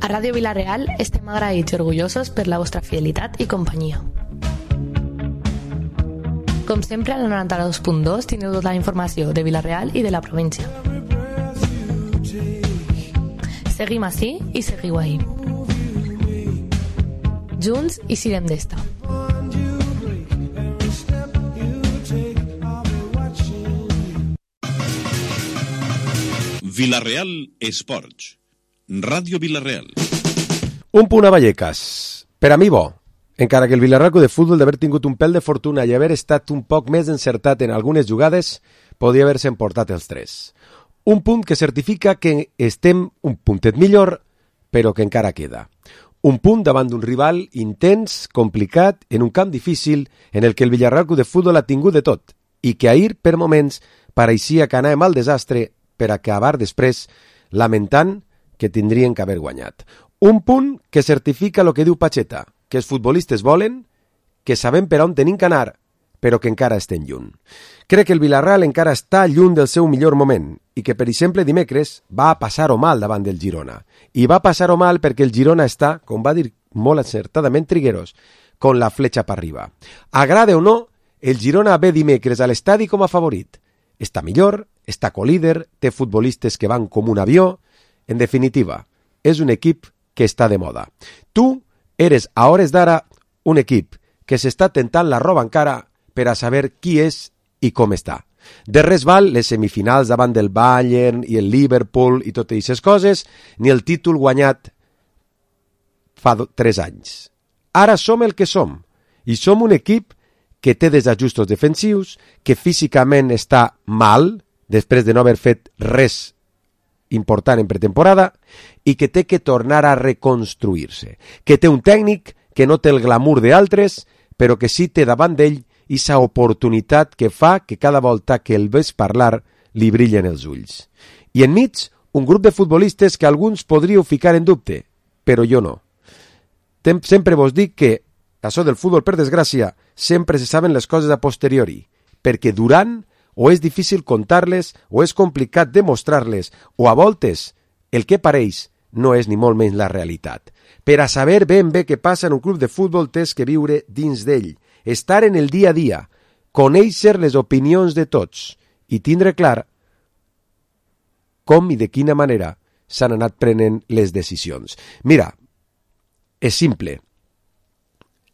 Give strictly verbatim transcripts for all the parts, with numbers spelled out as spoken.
A Ràdio Vila-real estem agraïts i orgullosos per la vostra fidelitat i companyia. Com sempre, al noranta-dos punt dos teniu tota la informació de Vila-real i de la província. Seguim ací i seguiu ahí. Junts i sirem d'esta. Vila-real Esports. Ràdio Vila-real. Un punt a Vallecas. Per a mi bo. Encara que el Vila-real de futbol d'haver tingut un pèl de fortuna i haver estat un poc més encertat en algunes jugades, podia haver-se emportat els tres. Un punt que certifica que estem un puntet millor, però que encara queda. Un punt davant d'un rival intens, complicat, en un camp difícil, en el que el Vila-real de futbol ha tingut de tot, i que ahir, per moments, pareixia que anàvem al desastre per acabar després lamentant que tindrien que haver guanyat. Un punt que certifica el que diu Pacheta, que els futbolistes volen, que sabem per on tenim que anar, però que encara estem lluny. Crec que el Vila-real encara està lluny del seu millor moment i que, per exemple, dimecres va passar-ho mal davant del Girona. I va passar-ho mal perquè el Girona està, com va dir molt encertadament Trigueros, con la fletxa per arriba. Agrade o no, el Girona ve dimecres a l'estadi com a favorit. Està millor, està colíder, té futbolistes que van com un avió. En definitiva, és un equip que està de moda. Tu eres, a hores d'ara, un equip que s'està tentant la roba encara per a saber qui és i com està. De res val les semifinals davant del Bayern i el Liverpool i totes aquestes coses, ni el títol guanyat fa tres anys. Ara som el que som, i som un equip que té desajustos defensius, que físicament està mal, després de no haver fet res important en pretemporada, i que té que tornar a reconstruir-se, que té un tècnic que no té el glamour d'altres, però que sí té davant d'ell aquesta oportunitat que fa que cada volta que el ves parlar li brillen els ulls. I enmig, un grup de futbolistes que alguns podríeu ficar en dubte, però jo no. Tem- sempre vos dic que, això del futbol, per desgràcia, sempre se saben les coses a posteriori, perquè durant o és difícil contar-les, o és complicat demostrar-les, o a voltes el que pareix no és ni molt menys la realitat. Per a saber ben bé què passa en un club de futbol tens que viure dins d'ell, estar en el dia a dia, conèixer les opinions de tots i tindre clar com i de quina manera s'han anat prenent les decisions. Mira, és simple.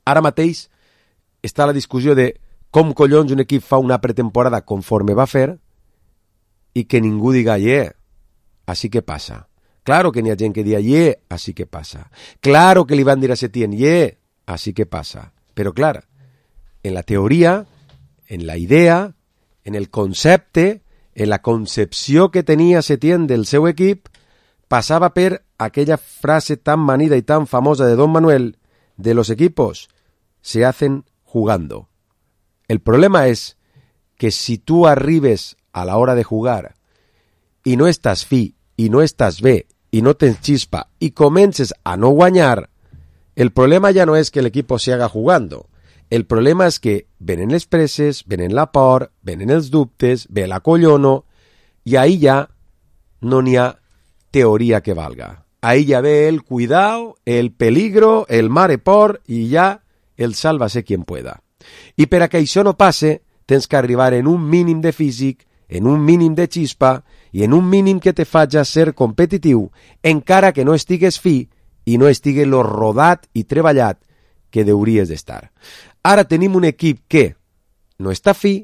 Ara mateix està la discussió de com collons un equip fa una pretemporada conforme va fer i que ningú diga yeah, així que passa. Claro que n'hi ha gent que diga yeah, així que passa. Claro que li van dir a Setién yeah, així que passa. Però clar, en la teoria, en la idea, en el concepte, en la concepció que tenia Setién del seu equip, passava per aquella frase tan manida y tan famosa de Don Manuel, de los equipos se hacen jugando. El problema es que si tú arribes a la hora de jugar y no estàs fi, i no estàs bé, i no tens chispa, i comences a no guanyar, el problema ja no és que l'equip se haga jugando. El problema és que venen les presses, venen la por, venen els dubtes, ve la collono, i ahí ja no n'hi ha teoria que valga. Ahí ja ve el cuidado, el peligro, el mare por, i ja el sálvase quien pueda. I per a que això no passe, tens que arribar en un mínim de físic, en un mínim de xispa i en un mínim que te faci ser competitiu, encara que no estigues fi i no estigui lo rodat i treballat que hauries d'estar. Ara tenim un equip que no està fi,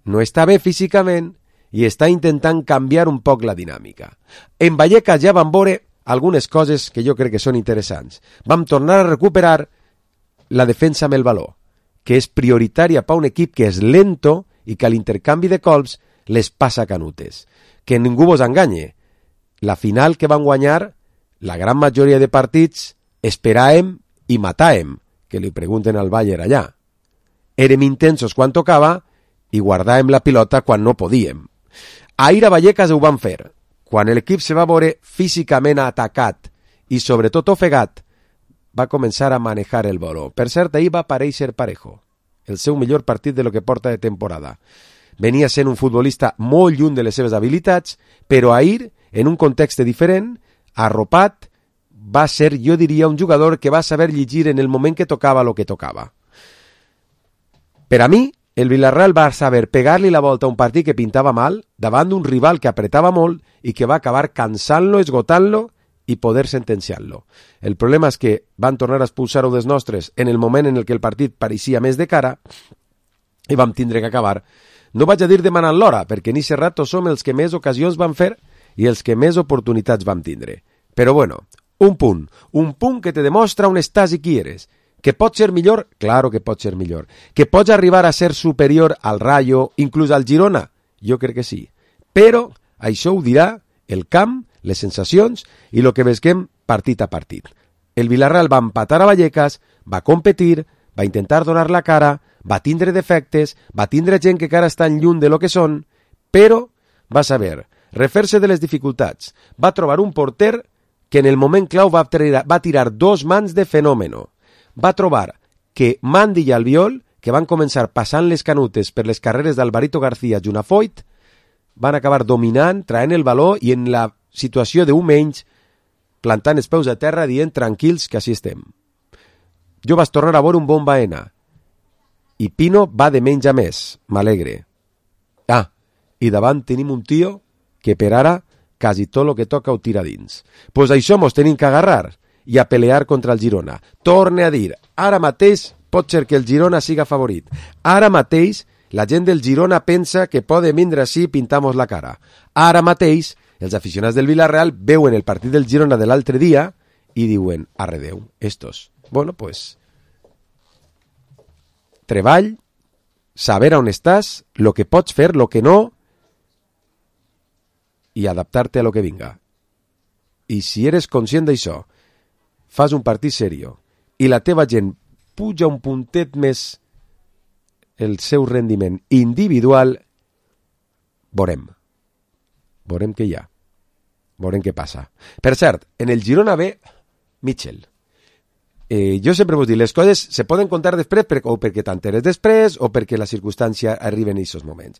no està bé físicament i està intentant canviar un poc la dinàmica. En Vallecas ja vam veure algunes coses que jo crec que són interessants. Vam tornar a recuperar la defensa amb el valor, que és prioritària per un equip que és lento i que a l'intercanvi de colps les passa canutes. Que ningú vos enganye. La final que van guanyar, la gran majoria de partits, esperàvem i matàvem, que li pregunten al Bayern allà. Érem intensos quan tocava i guardàvem la pilota quan no podíem. Ahir a Vallecas ho van fer. Quan l'equip se va veure físicament atacat i sobretot ofegat, va començar a manejar el baló. Per cert, ahir va aparèixer Parejo, el seu millor partit de lo que porta de temporada. Venia sent un futbolista molt lluny de les seves habilitats, però ahir, en un context diferent, arropat, va ser, jo diria, un jugador que va saber llegir en el moment que tocava lo que tocava. Per a mi, el Villarreal va saber pegar-li la volta a un partit que pintava mal davant d'un rival que apretava molt i que va acabar cansant-lo, esgotant-lo i poder sentenciar-lo. El problema és que van tornar a expulsar-ho dels nostres en el moment en el que el partit pareixia més de cara i vam tindre que acabar, no vaig a dir demanant l'hora, perquè ni Serrato som els que més ocasions van fer i els que més oportunitats vam tindre. Però bueno, un punt, un punt que te demostra on estàs i qui eres. Que pot ser millor? Claro que pot ser millor. Que pots arribar a ser superior al Rayo, inclús al Girona? Jo crec que sí. Però això ho dirà el camp, les sensacions i el que vesquem partit a partit. El Villarreal va empatar a Vallecas, va competir, va intentar donar la cara, va tindre defectes, va tindre gent que encara està en lluny de lo que són, però va saber refer-se de les dificultats. Va trobar un porter que en el moment clau va tirar, va tirar dos mans de fenòmeno. Va trobar que Mandi i Albiol, que van començar passant les canutes per les carreres d'Alvarito García i Unafoyt, van acabar dominant, traient el valor i en la situació d'un menys, plantant els peus a terra dient tranquils que així estem. Jo vaig tornar a veure un bon Baena i Pino va de menys a més, m'alegre. Ah, i davant tenim un tio que per ara quasi tot el que toca ho tira dins. Pues això mos tenim que agarrar i a pelear contra el Girona. Torne a dir, ara mateix pot ser que el Girona siga favorit. Ara mateix la gent del Girona pensa que poden vindre així i pintamos la cara. Ara mateix els aficionats del Villarreal veuen el partit del Girona de l'altre dia i diuen, arredeu, estos. Bueno, pues, treball, saber on estàs, lo que pots fer, lo que no, i adaptar-te a lo que vinga. I si eres conscient d'això, fas un partit serio i la teva gent puja un puntet més el seu rendiment individual, veurem. Veurem què hi ha. Veurem què passa. Per cert, en el Girona ve Mitchell. Eh, jo sempre vos dic, les coses se poden contar després per, o perquè t'enteres després o perquè la circumstància arriba en aquests moments.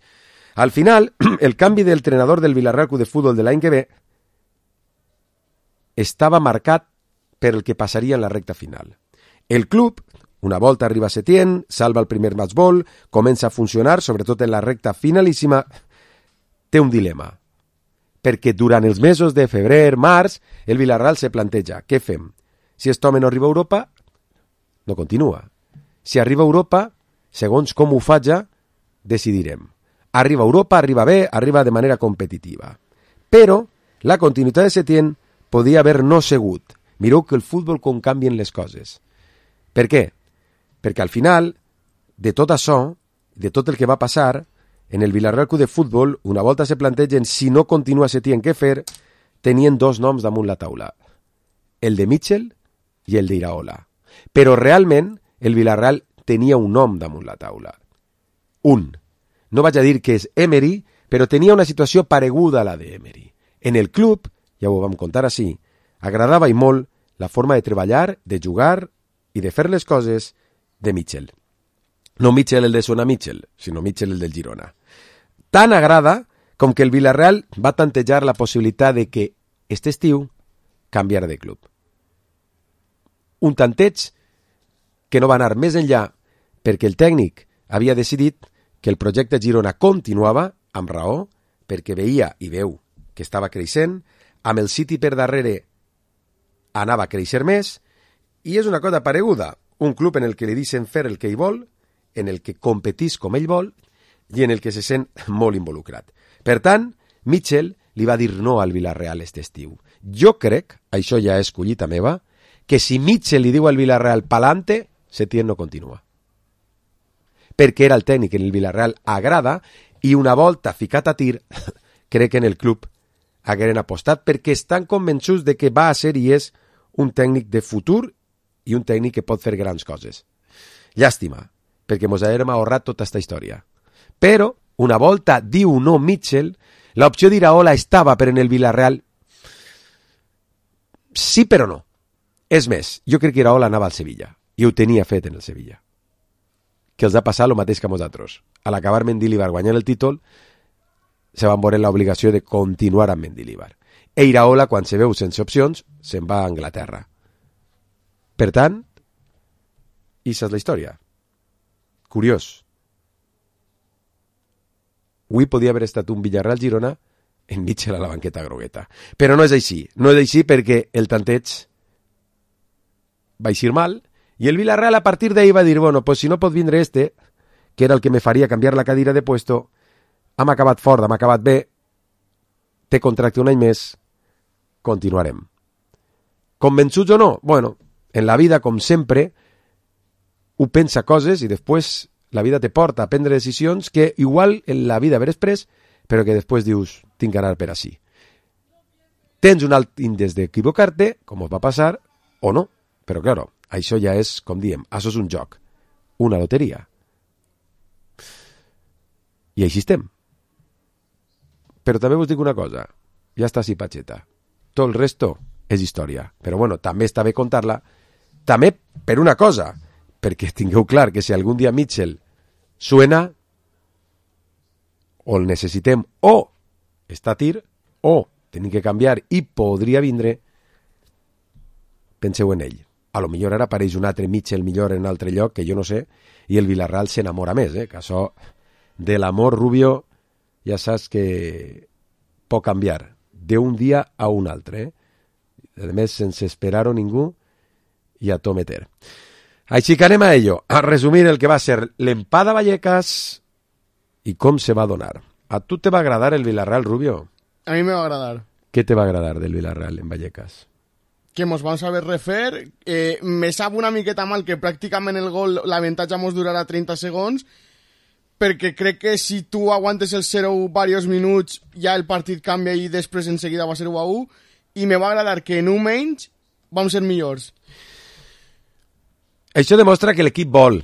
Al final, el canvi del entrenador del Villarreal Club de Fútbol de l'any que ve estava marcat per el que passaria en la recta final. El club, una volta arriba a Setién, salva el primer matchball, comença a funcionar, sobretot en la recta finalíssima, té un dilema. Perquè durant els mesos de febrer, març, el Villarreal se planteja, què fem? Si aquest home no arriba a Europa, no continua. Si arriba a Europa, segons com ho faja, decidirem. Arriba a Europa, arriba bé, arriba de manera competitiva. Però la continuïtat de Setién podia haver no segut. Mireu que el futbol com canvien les coses. Per què? Perquè al final, de tot això, de tot el que va passar, en el Villarreal Club de Futbol, una volta se plantegen si no continua Setién què fer, tenien dos noms damunt la taula. El de Mitchell i el d'Iraola. Però realment, el Villarreal tenia un nom damunt la taula. Un. No vaig a dir que és Emery, però tenia una situació pareguda a la d'Emery. En el club, ja ho vam contar així, agradava i molt la forma de treballar, de jugar i de fer les coses de Mitchell. No Mitchell el de Sona Mitchell, sinó Mitchell el del Girona. Tan agrada com que el Villarreal va tantejar la possibilitat de que aquest estiu canviar de club. Un tanteig que no va anar més enllà perquè el tècnic havia decidit que el projecte Girona continuava, amb raó, perquè veia i veu que estava creixent, amb el City per darrere anava a créixer més, i és una cosa pareguda, un club en el que li deixen fer el que ell vol, en el que competís com ell vol, i en el que se sent molt involucrat. Per tant, Mitchell li va dir no al Villarreal aquest estiu. Jo crec, això ja és collita meva, que si Mitchell li diu al Villarreal pa'lante, Setién no continua. Perquè era el tècnic en el Villarreal agrada, i una volta ficat a tir, crec que en el club hagueren apostat perquè estan convençuts de que va a ser i és un tècnic de futur i un tècnic que pot fer grans coses. Llàstima, perquè mos haguem ahorrat tota aquesta història. Però, una volta diu no Mitchell, l'opció d'Iraola estava per en el Villarreal. Sí, però no. És més, jo crec que Iraola anava al Sevilla, i ho tenia fet en el Sevilla. Que els ha passat el mateix que a nosaltres. A l'acabar Mendilibar guanyant el títol, se van veure l'obligació de continuar amb Mendilibar. e Iraola, quan se veu sense opcions, se'n va a Anglaterra. Per tant, això és la història. Curiós. Avui podia haver estat un Villarreal-Girona en Mitchell a la banqueta grogueta. Però no és així. No és així perquè el tanteig va eixir mal i el Villarreal a partir d'ahí va dir, bueno, pues si no pot vindre este, que era el que me faria canviar la cadira de puesto, hem acabat fort, hem acabat bé, té contracte un any més, continuarem. Convençuts o no? Bueno, en la vida, com sempre, ho pensa coses i després la vida te porta a prendre decisions que igual en la vida haver pres, però que després dius, tinc que anar per així. Tens un alt índex d'equivocar-te, com us va passar, o no. Però, claro, això ja és, com diem, això és un joc, una loteria. I així estem. Però també us dic una cosa, ja està així patxeta. Tot el resto és història. Però bueno, també està bé contar-la, també per una cosa, perquè tingueu clar que si algun dia Mitchell suena, o el necessitem, o està a tir, o tenim que canviar i podria vindre, penseu en ell. A lo millor ara apareix un altre Mitchell millor en un altre lloc, que jo no sé, i el Villarreal s'enamora més, eh? Que això de l'amor Rubio ja saps que pot canviar d'un dia a un altre, eh? A més, sense esperar-ho ningú i a to meter. Així que anem a ello, a resumir el que va ser l'empat a Vallecas i com se va donar. A tu te va agradar el Villarreal, Rubio? A mí me va a agradar. ¿Qué te va a agradar del Villarreal en Vallecas? Que mos vam saber refer. Eh, me sap una miqueta mal que pràcticament el gol, l'avantatge mos durarà trenta segons, perquè crec que si tu aguantes el zero u diversos minuts, ja el partit canvia i després en seguida va ser u a u, i me va agradar que en un menys vam ser millors. Això demostra que l'equip vol,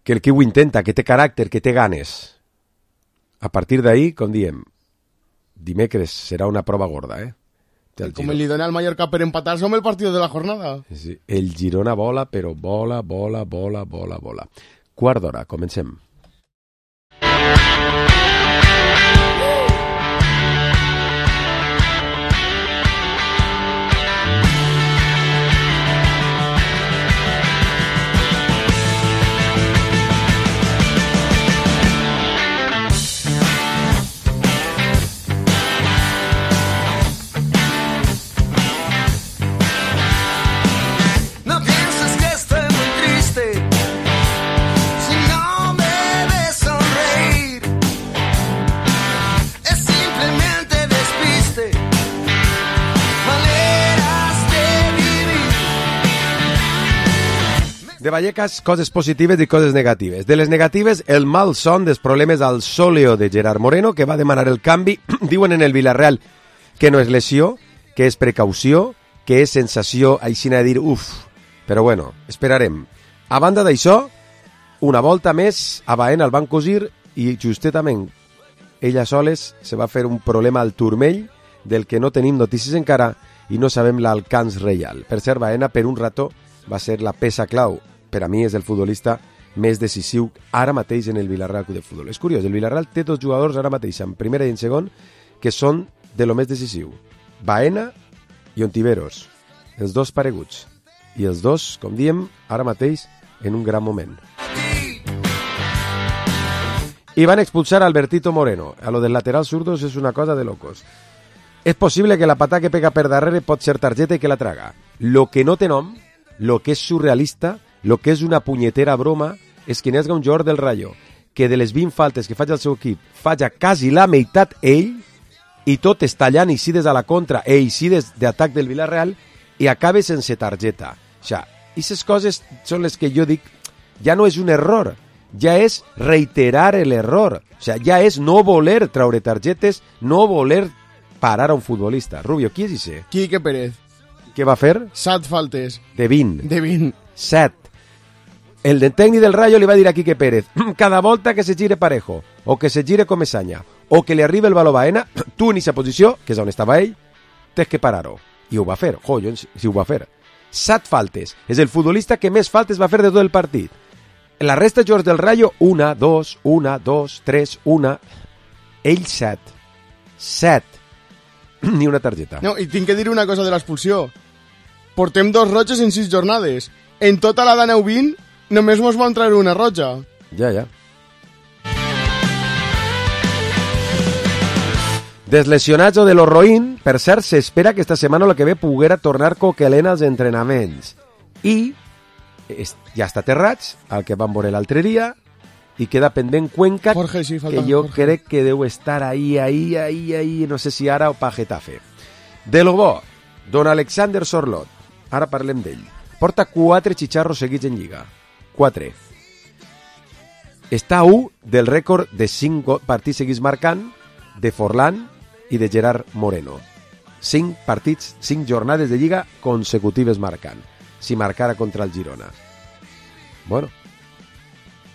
que l'equip ho intenta, que té caràcter, que té ganes. A partir d'ahí, com diem, dimecres serà una prova gorda, eh? Com li dona al Mallorca per empatar, som el partit de la jornada. Sí, el Girona vola, però vola, vola, vola, vola, vola. Quart d'hora, comencem. De Vallecas, coses positives i coses negatives. De les negatives, el mal son dels problemes al sòleo de Gerard Moreno, que va demanar el canvi. Diuen en el Villarreal que no és lesió, que és precaució, que és sensació, així de dir, uf. Però bueno, esperarem. A banda d'això, una volta més, a Baena el van cosir i justetament ella soles se va fer un problema al turmell del que no tenim notícies encara i no sabem l'alcance real. Per cert, Baena per un rato va ser la peça clau. Per a mi és el futbolista més decisiu ara mateix en el Villarreal Club de Futbol. És curiós, el Villarreal té dos jugadors ara mateix, en primera i en segon, que són de lo més decisiu. Baena i Ontiveros, els dos pareguts. I els dos, com diem, ara mateix en un gran moment. I van expulsar a Albertito Moreno. A lo del lateral zurdos és una cosa de locos. És possible que la patà que pega per darrere pot ser targeta i que la traga. Lo que no té nom, lo que és surrealista, lo que és una punyetera broma, és que n'hi hagi un jugador del Rayo que de les vint faltes que faig al seu equip faja quasi la meitat ell i tot és tallant i des a la contra e i des d'atac del Villarreal i acabe sense targeta. O sigui, aquestes coses són les que jo dic, ja no és un error, ja és reiterar l'error. O sigui, ja és no voler traure targetes, no voler parar a un futbolista. Rubio, qui és ese? Quique Pérez. Què va fer? Set faltes. De vint. De vint. Set. El de tècnic del Rayo li va dir a Quique Pérez, cada volta que se gire Parejo, o que se gire Comesaña, o que li arribi el baló a Baena, tu en aquesta posició, que és on estava ell, tens que parar-ho. I ho va fer, jo, si ho va fer. Set faltes. És el futbolista que més faltes va fer de tot el partit. La resta de jugadors del Rayo, una, dos, una, dos, tres, una. Ell set. Set. ni una targeta. No, i tinc que dir una cosa de l'expulsió. Portem dos roges en sis jornades. En tota la d'aneu vint, només mos van treure una roja. Ja, ja. Deslesionats o de los roïn, per cert, s'espera que esta setmana el que ve poguera tornar Coquelin als entrenaments. I ja està aterrats, el que van veure l'altre dia, i queda pendent Cuenca, Jorge, sí, falta que jo Jorge. crec que deu estar ahí, ahí, ahí, ahí, no sé si ara o pa Getafe. De lo bo, don Alexander Sorlot, ara parlem d'ell, porta quatre xicharros seguits en Lliga. Quatre. Està a u del rècord de cinc partits seguits marcant de Forlán i de Gerard Moreno. Cinc partits, cinc jornades de Lliga consecutives marcant. Si marcara contra el Girona. Bueno,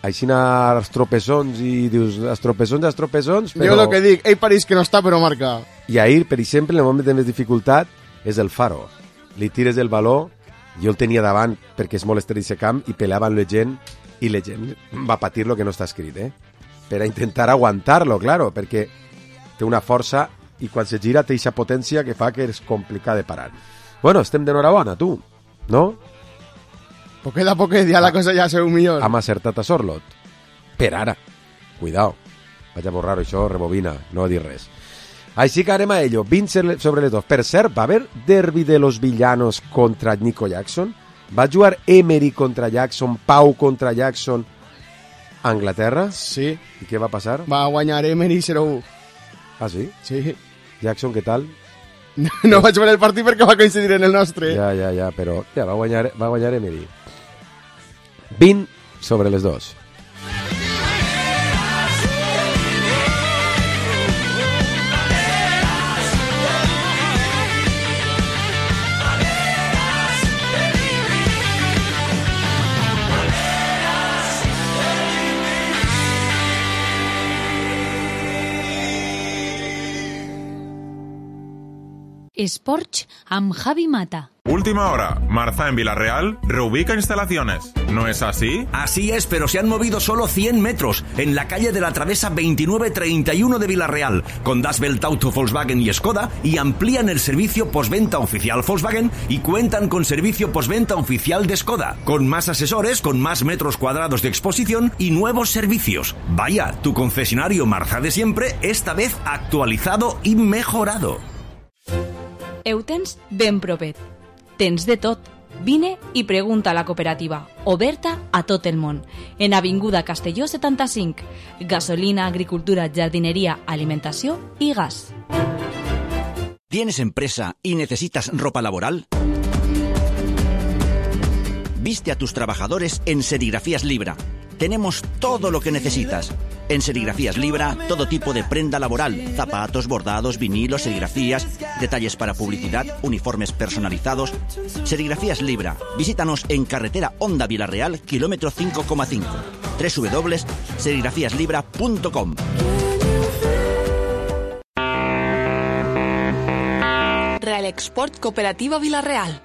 així els tropezons i dius, els tropezons, els tropezons, però... Jo el que dic, ell pareix que no està, però marca. I ahir, per exemple, en el moment de més dificultat, és el Faro. Li tires el baló, jo el tenia davant perquè és molt estret d'aquest camp i peleava amb la gent, i la gent va patir lo que no està escrit, eh? Per a intentar aguantar-lo, claro, perquè té una força i quan se gira té aquesta potència que fa que és complicat de parar. Bueno, estem d'enhorabona, tu, no? Poquet a poquet, ja la cosa ja seu millor. Hem acertat a Sorlot. Per ara. Cuidao. Vaig a borrar això, rebobina, no dir res. Així que anem a ello. vint sobre les dos. Per cert, va haver derbi de los villanos contra Nico Jackson? Va jugar Emery contra Jackson, Pau contra Jackson a Anglaterra? Sí. I què va passar? Va guanyar Emery zero u. Ah, sí? Sí. Jackson, què tal? No, no vaig veure el partit perquè va coincidir en el nostre. Ja, ja, ja, però ja, va guanyar, va guanyar Emery. vint sobre les dos. Esports amb Javi Mata. Última hora. Marza en Villarreal reubica instalaciones. ¿No es así? Así es, pero se han movido solo cien metros en la calle de la Travesa veintinueve treinta y uno de Villarreal con Das Welt Auto Volkswagen y Skoda y amplían el servicio postventa oficial Volkswagen y cuentan con servicio postventa oficial de Skoda, con más asesores, con más metros cuadrados de exposición y nuevos servicios. Vaya, tu concesionario Marza de siempre, esta vez actualizado y mejorado. Ho tens ben propet. Tens de tot. Vine i pregunta a la cooperativa, oberta a tot el món. En Avinguda Castelló setanta-cinc. Gasolina, agricultura, jardineria, alimentació i gas. ¿Tienes empresa y necesitas ropa laboral? Viste a tus trabajadores en Serigrafías Libra. Tenemos todo lo que necesitas. En Serigrafías Libra, todo tipo de prenda laboral, zapatos, bordados, vinilos, serigrafías, detalles para publicidad, uniformes personalizados. Serigrafías Libra. Visítanos en carretera Honda Villarreal, kilómetro cinco coma cinco. doble u doble u doble u punto serigrafías libra punto com. Real Export Cooperativa Villarreal.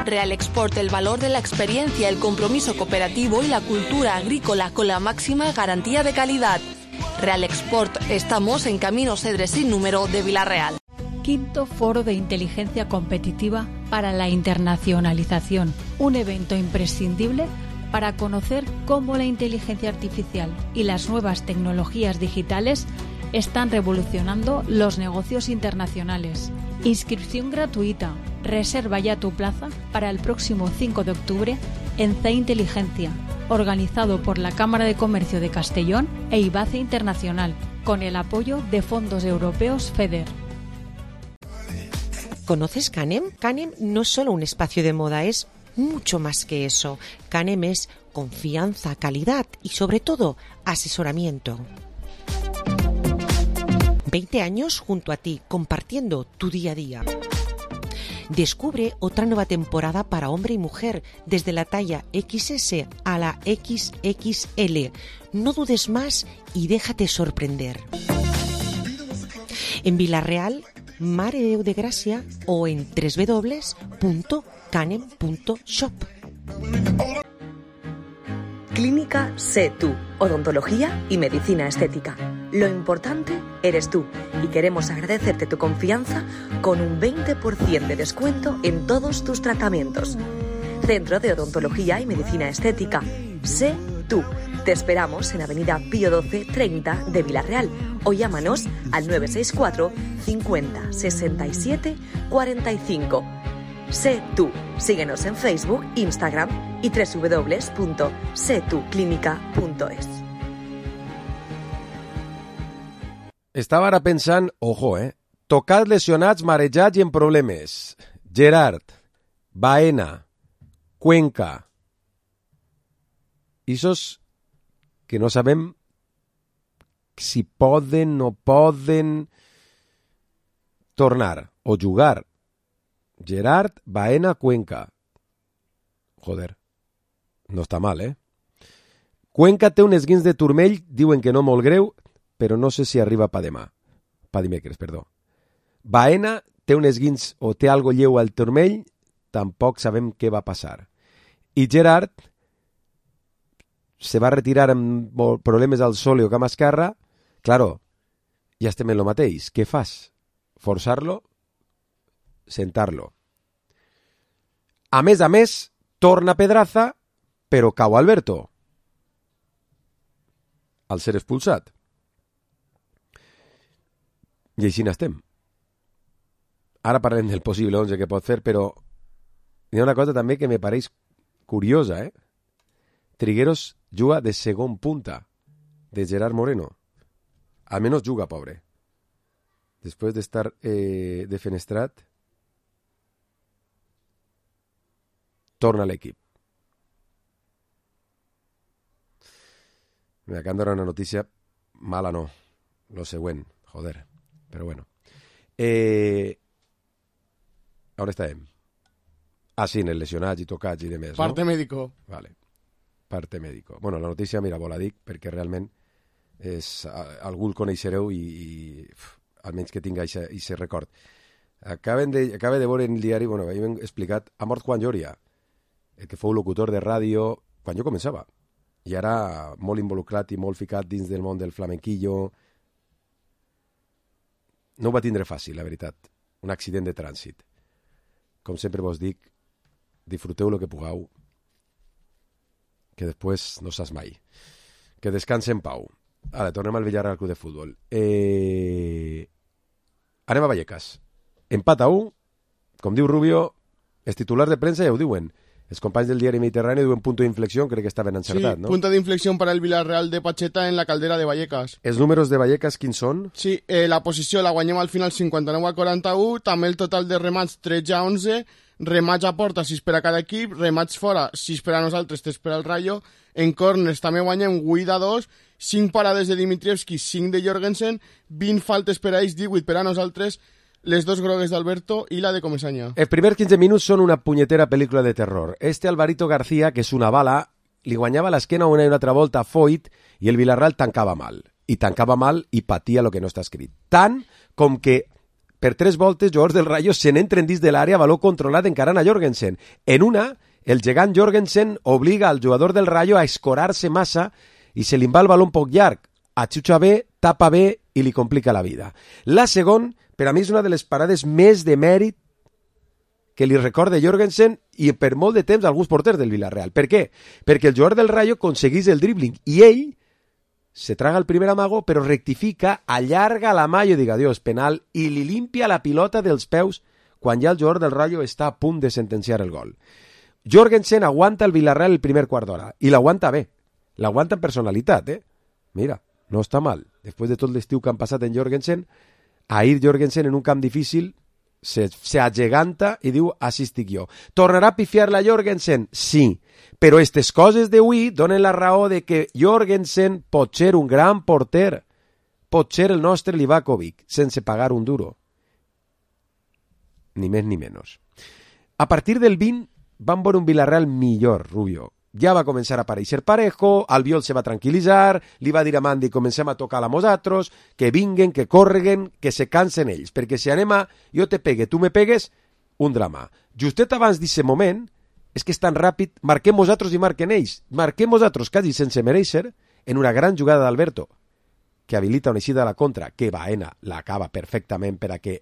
Real Export, el valor de la experiencia, el compromiso cooperativo y la cultura agrícola con la máxima garantía de calidad. Real Export, estamos en Camino Cedre sin número de Villarreal. Quinto Foro de Inteligencia Competitiva para la Internacionalización, un evento imprescindible para conocer cómo la inteligencia artificial y las nuevas tecnologías digitales están revolucionando los negocios internacionales. Inscripción gratuita. Reserva ya tu plaza para el próximo cinco de octubre en C Inteligencia, organizado por la Cámara de Comercio de Castellón e IBACE Internacional, con el apoyo de fondos europeos FEDER. ¿Conoces Canem? Canem no es solo un espacio de moda, es mucho más que eso. Canem es confianza, calidad y sobre todo asesoramiento. veinte años junto a ti, compartiendo tu día a día. Descubre otra nueva temporada para hombre y mujer, desde la talla equis ese a la equis equis ele. No dudes más y déjate sorprender. En Villarreal, Mare de Déu de Gràcia o en doble u doble u doble u punto canem punto shop. Clínica Sé Tú, odontología y medicina estética. Lo importante eres tú y queremos agradecerte tu confianza con un veinte por ciento de descuento en todos tus tratamientos. Centro de Odontología y Medicina Estética. Sé tú. Te esperamos en Avenida Pío doce treinta de Vila-real o llámanos al nueve seis cuatro cincuenta sesenta y siete cuarenta y cinco. Sé tú. Síguenos en Facebook, Instagram y doble u doble u doble u punto sé tu clínica punto es. Estava ara pensant, ojo, eh? Tocats, lesionats, marejats i en problemes. Gerard, Baena, Cuenca. Isos que no sabem si poden o no poden tornar o jugar. Gerard, Baena, Cuenca. Joder, no està mal, eh? Cuenca té un esguins de turmell, diuen que no molt greu, però no sé si arriba pa demà. Pa dimecres, perdó. Baena té un esguins o té algo lleu al turmell, tampoc sabem què va passar. I Gerard se va retirar amb problemes al sole o cama esquerra. Claro, ja estem en lo mateix. Què fas? Forçar-lo? Sentar-lo. A més a més, torna Pedraza, però cau Alberto al ser expulsat. I així n'estem. Ara parlem del possible onze que pot fer, però hi ha una cosa també que me pareix curiosa, eh? Trigueros juga de segon punta de Gerard Moreno. Almenys juga, pobre. Després d'estar eh, defenestrat, torna a l'equip. Me acaban de dar una notícia mala, no. Lo següent, joder. Però bueno. Eh... On estàvem? Ah, sí, en el lesionats i tocats i demés, Parte no? médico. Vale. Parte médico. Bueno, la notícia, mira, vos la dic perquè realment és, algú el coneixereu i, i uf, almenys que tinga aquest record. Acaben de, acaba de veure en el diari, bueno, hem explicat, ha mort Juan Lloria, el que fou locutor de ràdio quan jo començava, i ara molt involucrat i molt ficat dins del món del flamenquillo. No ho va tindre fàcil, la veritat. Un accident de trànsit. Com sempre vos dic, disfruteu el que pugueu, que després no saps mai. Que descanse en pau. Ara, tornem al Villarreal Club de Futbol. Eh... Anem a Vallecas. Empat a u, com diu Rubio, els titulars de premsa ja ho diuen. Els companys del diari Mediterrani diuen punto d'inflexió, crec que estaven encertats, sí, no? Punto d'inflexió para el Villarreal de Pacheta en la caldera de Vallecas. Els números de Vallecas quins són? Sí, eh, la posició la guanyem al final cinquanta-nou a quaranta-u, també el total de remats tretze a onze, remats a porta sis per a cada equip, remats fora sis per a nosaltres, tres per al Rayo, en corners també guanyem vuit a dos, cinc parades de Dimitrievski, cinc de Jorgensen, vint faltes per a ells, divuit per a nosaltres, les dos grogues d'Alberto i la de Comesaña. Els primers quinze minuts són una punyetera pel·lícula de terror. Este Alvarito García, que és una bala, li guanyava l'esquena una i una altra volta a Foyt i el Villarreal tancava mal. I tancava mal i patia el que no està escrit. Tant com que per tres voltes jugadors del Rayo se n'entren dins de l'àrea, valor controlat encarant a Jorgensen. En una, el gegant Jorgensen obliga al jugador del Rayo a escorar-se massa i se li va el baló un poc llarg. Atxutxa bé, tapa bé i li complica la vida. La segona, per a mi és una de les parades més de mèrit que li recorda Jorgensen i per molt de temps alguns porters del Villarreal. Per què? Perquè el jugador del Rayo aconsegueix el dribbling i ell se traga el primer amago però rectifica, allarga la mà i diga adiós, penal, i li limpia la pilota dels peus quan ja el jugador del Rayo està a punt de sentenciar el gol. Jorgensen aguanta el Villarreal el primer quart d'hora i l'aguanta bé, l'aguanta en personalitat, eh? Mira, no està mal. Després de tot l'estiu que han passat en Jorgensen, ahir Jorgensen en un camp difícil se, se ageganta i diu així estic jo. Tornarà a pifiar-la Jorgensen? Sí, però aquestes coses d'avui donen la raó de que Jorgensen pot ser un gran porter, pot ser el nostre Livakovic, sense pagar un duro. Ni més ni menys. A partir del vint van veure un Villarreal millor, Rubio. Ja va començar a aparèixer Parejo, Albiol se va tranquil·litzar, li va dir a Mandi comencem a tocar a nosaltres, que vinguen, que correguen, que se cansen ells, perquè si anem a jo te pegue, tu me pegues, un drama. Justet abans d'aquest moment, és que és tan ràpid, marquem nosaltres i marquen ells, marquem nosaltres quasi sense mereixer, en una gran jugada d'Alberto. que habilita una eixida a la contra, que Baena l'acaba perfectament per a que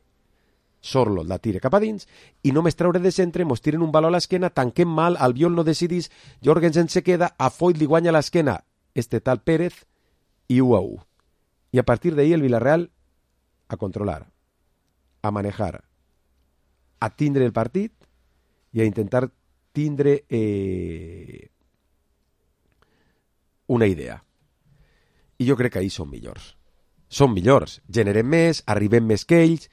Sorlo la tire cap a dins, i només treure de centre, mos tiren un baló a l'esquena, tanquem mal, Albiol no decidís, Jorgensen se queda, a Foyt li guanya l'esquena este tal Pérez, i u a u. I a partir d'ahí el Villarreal a controlar, a manejar, a tindre el partit i a intentar tindre eh, una idea. I jo crec que ahir són millors. Són millors. Generem més, arribem més que ells,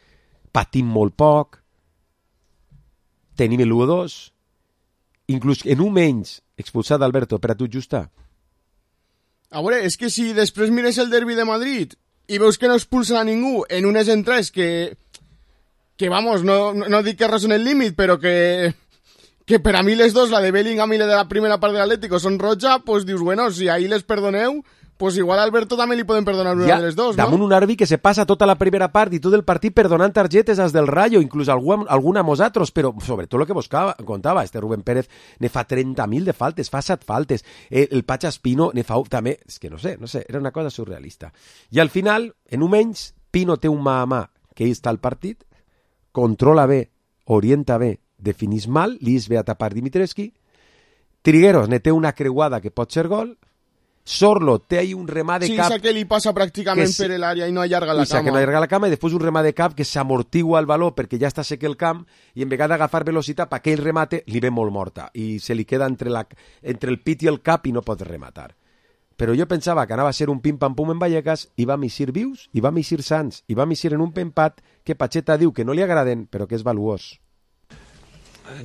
patim molt poc, tenim l'u a dos, inclús en un menys expulsat Alberto, per a tu justa. A veure, és que si després mires el derbi de Madrid i veus que no expulsen a ningú en unes entrades que, que vamos, no, no, no dic que rasen el límit, però que, que per a mi les dos, la de Bellingham i la de la primera part de l'Atlético, són roja, pues dius, bueno, si ahí les perdoneu, pues igual a Alberto també li poden perdonar una ja, de les dos, no? Damunt un àrbitre que se passa tota la primera part i tot el partit perdonant targetes als del Rayo, inclús algun, algun a mosatros, però sobretot el que vos contava, este Rubén Pérez ne fa trenta mil de faltes, fa set faltes, el, el Pacha Espino ne fa també, és que no sé, no sé, era una cosa surrealista. I al final, en un menys, Pino té un mà a mà que està al partit, controla bé, orienta bé, definís mal, li és bé a tapar Dimitrescu, Trigueros ne té una creuada que pot ser gol, Sorlo té ahí un remà de sí, cap... Sí, que li passa pràcticament es... per l'àrea i no allarga la cama. que no allarga la cama i després un remà de cap que s'amortigua el baló perquè ja està sec el camp i en vegada d'agafar velocitat per aquell remate li ve molt morta i se li queda entre, la... entre el pit i el cap i no pot rematar. Però jo pensava que anava a ser un pim-pam-pum en Vallecas i vam eixir vius, i vam eixir sants, i vam eixir en un empat que Pacheta diu que no li agraden, però que és valuós.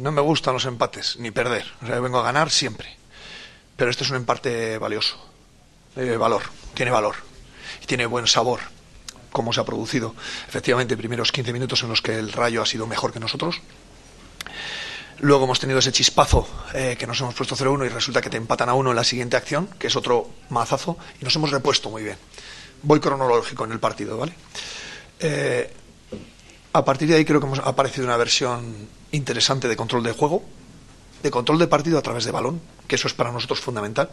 No me gustan los empates, ni perder. O sea, vengo a ganar siempre. Pero este es un empate valioso. Eh, valor, tiene valor. Y tiene buen sabor, como se ha producido. Efectivamente, primeros quince minutos en los que el Rayo ha sido mejor que nosotros. Luego hemos tenido ese chispazo eh, que nos hemos puesto cero uno y resulta que te empatan a uno en la siguiente acción, que es otro mazazo, y nos hemos repuesto muy bien. Voy cronológico en el partido, ¿vale? Eh, a partir de ahí creo que hemos aparecido una versión interesante de control de juego, de control de partido a través de balón, que eso es para nosotros fundamental,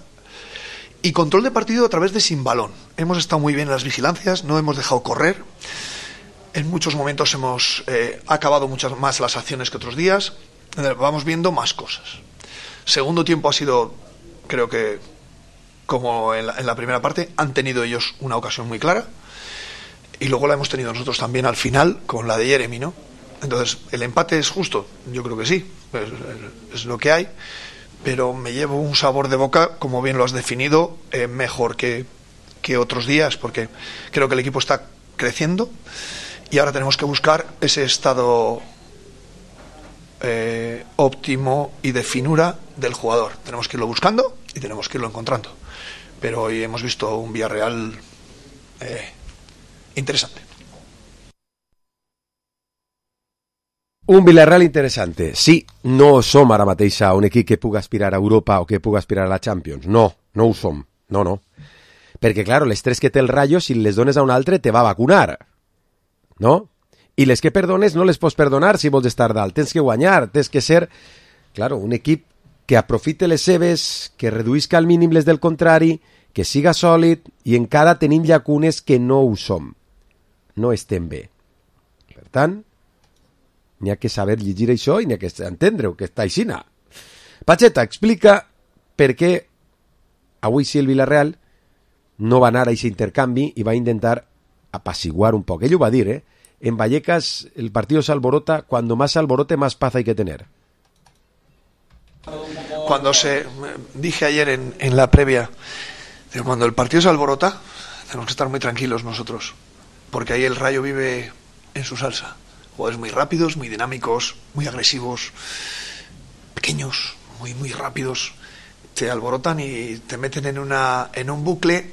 y control de partido a través de sin balón. Hemos estado muy bien en las vigilancias, no hemos dejado correr, en muchos momentos hemos eh, acabado muchas más las acciones que otros días, vamos viendo más cosas. Segundo tiempo ha sido, creo que como en la, en la primera parte, han tenido ellos una ocasión muy clara y luego la hemos tenido nosotros también al final con la de Jeremy, ¿no? Entonces, ¿el empate es justo? Yo creo que sí, es, es lo que hay, pero me llevo un sabor de boca, como bien lo has definido, eh, mejor que, que otros días, porque creo que el equipo está creciendo y ahora tenemos que buscar ese estado eh, óptimo y de finura del jugador. Tenemos que irlo buscando y tenemos que irlo encontrando. Pero hoy hemos visto un Villarreal eh, interesante. Un Villarreal interessante. Sí, no som ara mateix un equip que pugui aspirar a Europa o que pugui aspirar a la Champions. No, no ho som. No, no. Perquè, clar, les tres que té el Rayo, si les dones a un altre, te va a vacunar. No? I les que perdones no les pots perdonar si vols estar dalt. Tens que guanyar, tens que ser, claro, un equip que aprofite les seves, que reduïsca al mínim les del contrari, que siga sòlid, i encara tenim llacunes que no ho som. No estem bé. Per tant, n'hi ha que saber llegir això i n'hi ha que entendre-ho, que està aixina. Pacheta, explica per què avui sí el Villarreal no va anar a aquest intercanvi i va intentar apaciguar un poc. Ell ho va dir, eh? En Vallecas el partido se alborota, cuando más se alborote, más paz hay que tener. Cuando se dije ayer en, en la previa, digo, cuando el partido se alborota, tenemos que estar muy tranquilos nosotros, porque ahí el Rayo vive en su salsa. Jugadores muy rápidos, muy dinámicos, muy agresivos, pequeños, muy muy rápidos, te alborotan y te meten en una en un bucle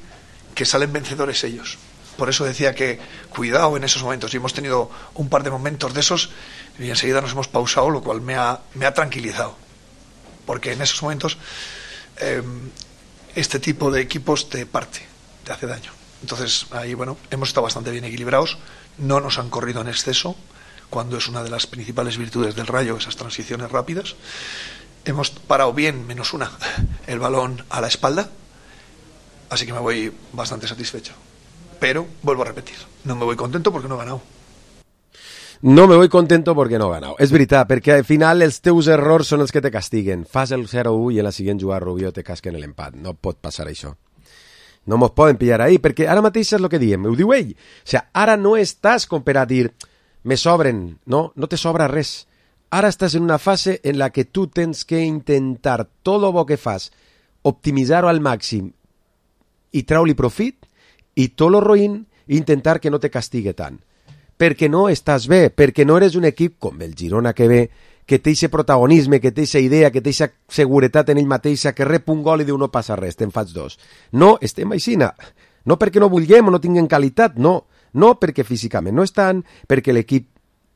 que salen vencedores ellos. Por eso decía que cuidado en esos momentos, y hemos tenido un par de momentos de esos y enseguida nos hemos pausado, lo cual me ha, me ha tranquilizado, porque en esos momentos eh, este tipo de equipos te parte, te hace daño. Entonces ahí, bueno, hemos estado bastante bien equilibrados, no nos han corrido en exceso, cuando es una de las principales virtudes del Rayo, esas transiciones rápidas. Hemos parado bien, menos una, el balón a la espalda, así que me voy bastante satisfecho. pero vuelvo a repetir, no me voy contento porque no he ganado. No me voy contento perquè no he ganat. És veritat, perquè al final els teus errors són els que te castiguen. Fas el zero a u i en la següent jugada Rubio te casquen l'empat. No pot passar això. No mos poden pillar ahí, perquè ara mateix és el que diem, ho diu ell. O sigui, ara no estàs com per a dir me sobren, no, no te sobra res. Ara estàs en una fase en la que tu tens que intentar tot el bo que fas, optimitzar-ho al màxim i trau-li profit, i tot el roïn intentar que no te castigue tant. Perquè no estàs bé, perquè no eres un equip com el Girona que ve, que té aquest protagonisme, que té aquesta idea, que té aquesta seguretat en ell mateixa, que rep un gol i diu no passa res, te'n faig dos. No, estem aixina. No perquè no vulguem o no tinguem qualitat, no. No perquè físicament no estan, perquè l'equip,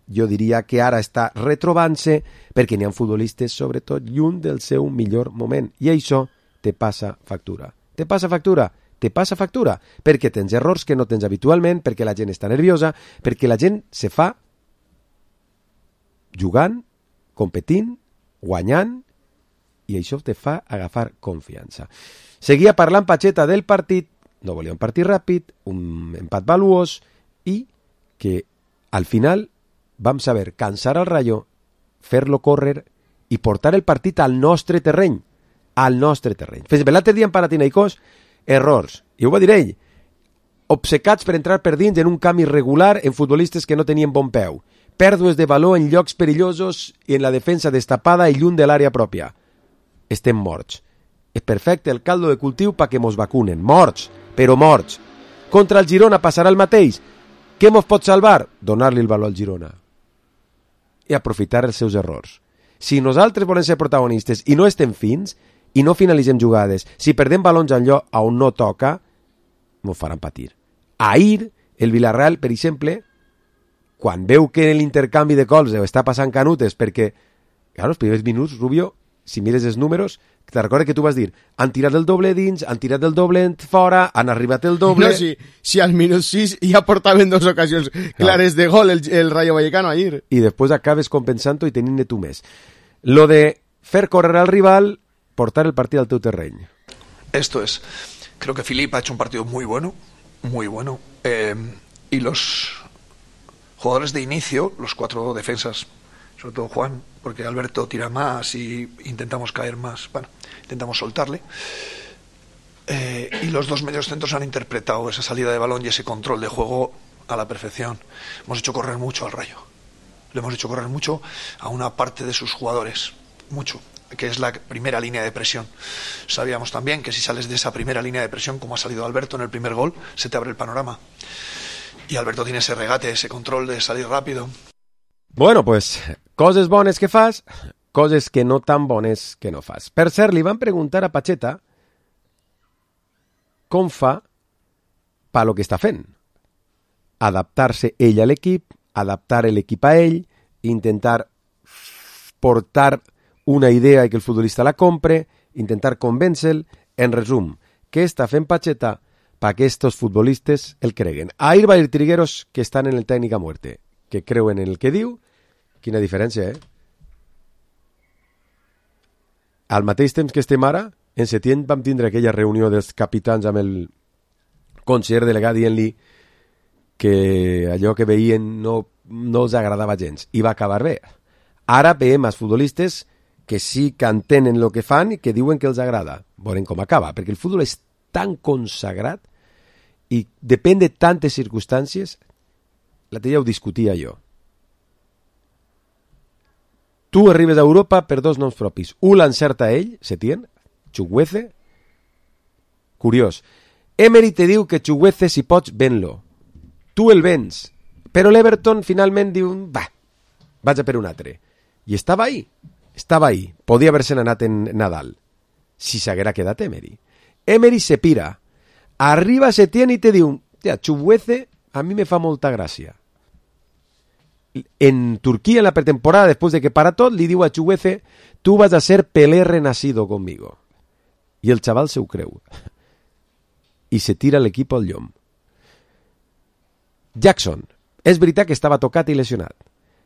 jo diria que ara està retrobant-se, perquè n'hi ha futbolistes, sobretot, lluny del seu millor moment. I això te passa factura. Te passa factura? Te passa factura, perquè tens errors que no tens habitualment, perquè la gent està nerviosa, perquè la gent se fa jugant, competint, guanyant, i això te fa agafar confiança. Seguia parlant Pacheta del partit, no volia un partit ràpid, un empat valuós, i que al final vam saber cansar al Rayo, fer-lo córrer i portar el partit al nostre terreny, al nostre terreny. Fins l'altre dia en Panathinaikos, errors, i ho va dir ell, obcecats per entrar per dins en un camp irregular en futbolistes que no tenien bon peu, pèrdues de valor en llocs perillosos i en la defensa destapada i lluny de l'àrea pròpia. Estem morts. És perfecte el caldo de cultiu perquè mos vacunen. Morts, però morts. Contra el Girona passarà el mateix. Què mos pot salvar? Donar-li el valor al Girona. I aprofitar els seus errors. Si nosaltres volem ser protagonistes i no estem fins, i no finalitzem jugades, si perdem balons en lloc on no toca, mos faran patir. Ahir, el Villarreal, per exemple, quan veu que l'intercanvi de gols està passant canutes, perquè, clar, els primers minuts, Rubio, si mires els números, te recordes que tu vas dir, han tirat el doble dins, han tirat el doble fora, han arribat el doble... No, si, si al minut sis ja portaven dos ocasions clares de gol el, el Rayo Vallecano ahir. I després acabes compensant-ho i tenint-ne tu més. Lo de fer córrer al rival, portar el partido al teu terreny. Esto es, creo que Filip ha hecho un partido muy bueno, muy bueno, eh, y los jugadores de inicio, los cuatro defensas, sobre todo Juan, porque Alberto tira más y intentamos caer más, bueno, intentamos soltarle, eh, y los dos medios centros han interpretado esa salida de balón y ese control de juego a la perfección. Hemos hecho correr mucho al Rayo, le hemos hecho correr mucho a una parte de sus jugadores, mucho, que es la primera línea de presión. Sabíamos también que si sales de esa primera línea de presión, como ha salido Alberto en el primer gol, se te abre el panorama. Y Alberto tiene ese regate, ese control de salir rápido. Bueno, pues, coses bones que fas, coses que no tan bones que no fas. Per cert, li van preguntar a Pacheta com fa pa lo que està fent. Adaptar-se ell a l'equip, adaptar l'equip a ell, intentar portar una idea i que el futbolista la compre, intentar convèncer-lo. En resum, què està fent Pacheta perquè estos futbolistes el creguen? Ahir va ir Trigueros, que estan en el tècnic a muerte, que creuen en el que diu. Quina diferència, eh? Al mateix temps que estem ara, en setembre vam tindre aquella reunió dels capitans amb el conseller delegat dient-li que allò que veien no, no els agradava gens, i va acabar bé. Ara veiem els futbolistes que sí que entenen el que fan i que diuen que els agrada. Veurem com acaba, perquè el futbol és tan consagrat i depèn de tantes circumstàncies. L'altre dia ho discutia jo. Tu arribes a Europa per dos noms propis. Un l'encerta ell, Setién, Chukwueze. Curiós. Emery te diu que Chukwueze, si pots, ven-lo. Tu el vens. Però l'Everton finalment diu, va, vaig a per un altre. I estava ahí. Estava ahí. Podia haver-se'n anat en Nadal. Si s'haguera quedat Emery. Emery se pira. Arriba Setién i te diu, tia, Chukwueze a mi me fa molta gràcia. En Turquía, en la pretemporada, después de que para tot, li diu a Chukwueze, tú vas a ser Pelé renacido conmigo. I el xaval se ho creu. I se tira l'equip al llom. Jackson, és veritat que estava tocat i lesionat,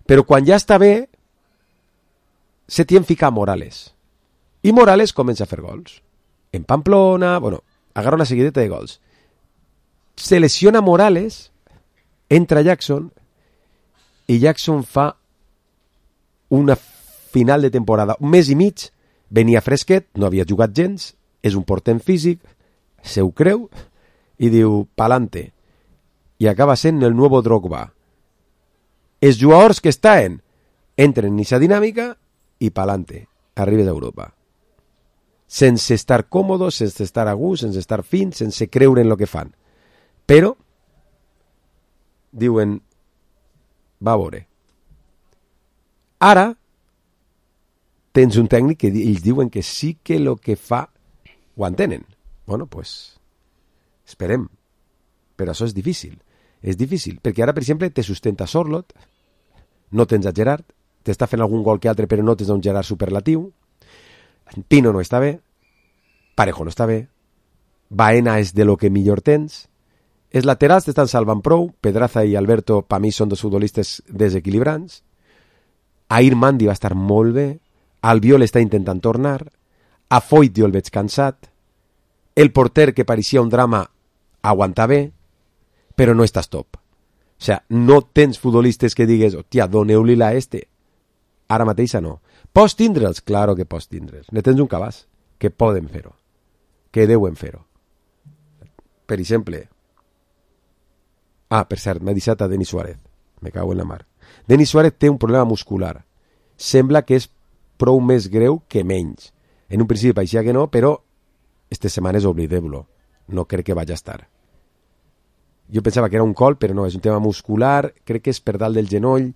però quan ja està bé, Setién fica a Morales. I Morales comença a fer gols. En Pamplona, bueno, agarra una seguideta de gols. se lesiona Morales, entra Jackson, i Jackson fa una final de temporada, un mes i mig, venia fresquet, no havia jugat gens, és un portent físic, se ho creu, i diu, pa'lante, i acaba sent el nuevo Drogba. Els jugadors que estan entren en aquesta dinàmica i pa'lante, arribes a Europa. Sense estar còmodos, sense estar a gust, sense estar fins, sense creure en el que fan. Però, diuen, va a veure. Ara, tens un tècnic que ells diuen que sí que el que fa ho entenen. Bueno, pues, esperem. Però això és difícil. És difícil, perquè ara, per exemple, te sustenta Sorloth, no tens a Gerard, t'està fent algun gol que altre, però no tens un Gerard superlatiu, Pino no està bé, Parejo no està bé, Baena és de lo que millor tens, els laterals t'estan salvant prou, Pedraza i Alberto, per mi, són dos futbolistes desequilibrants, Ahir Mandi va estar molt bé, Albiol està intentant tornar, a Foyt jo el veig cansat, el porter que pareixia un drama aguanta bé, però no estàs top. O sigui, no tens futbolistes que digues, hòstia, doneu-li-la a este. Ara mateixa no. Pots tindre'ls? Claro que pots tindre'ls. Ne tens un cabàs que poden fer-ho, que deuen fer-ho. Per exemple, ah, per cert, m'ha deixat a Denis Suárez, me cago en la mar. Denis Suárez té un problema muscular. Sembla que és prou més greu que menys. En un principi pareixia que no, però aquestes setmanes oblideu-lo. No crec que vagi a estar. Jo pensava que era un col, però no, és un tema muscular, crec que és per dalt del genoll,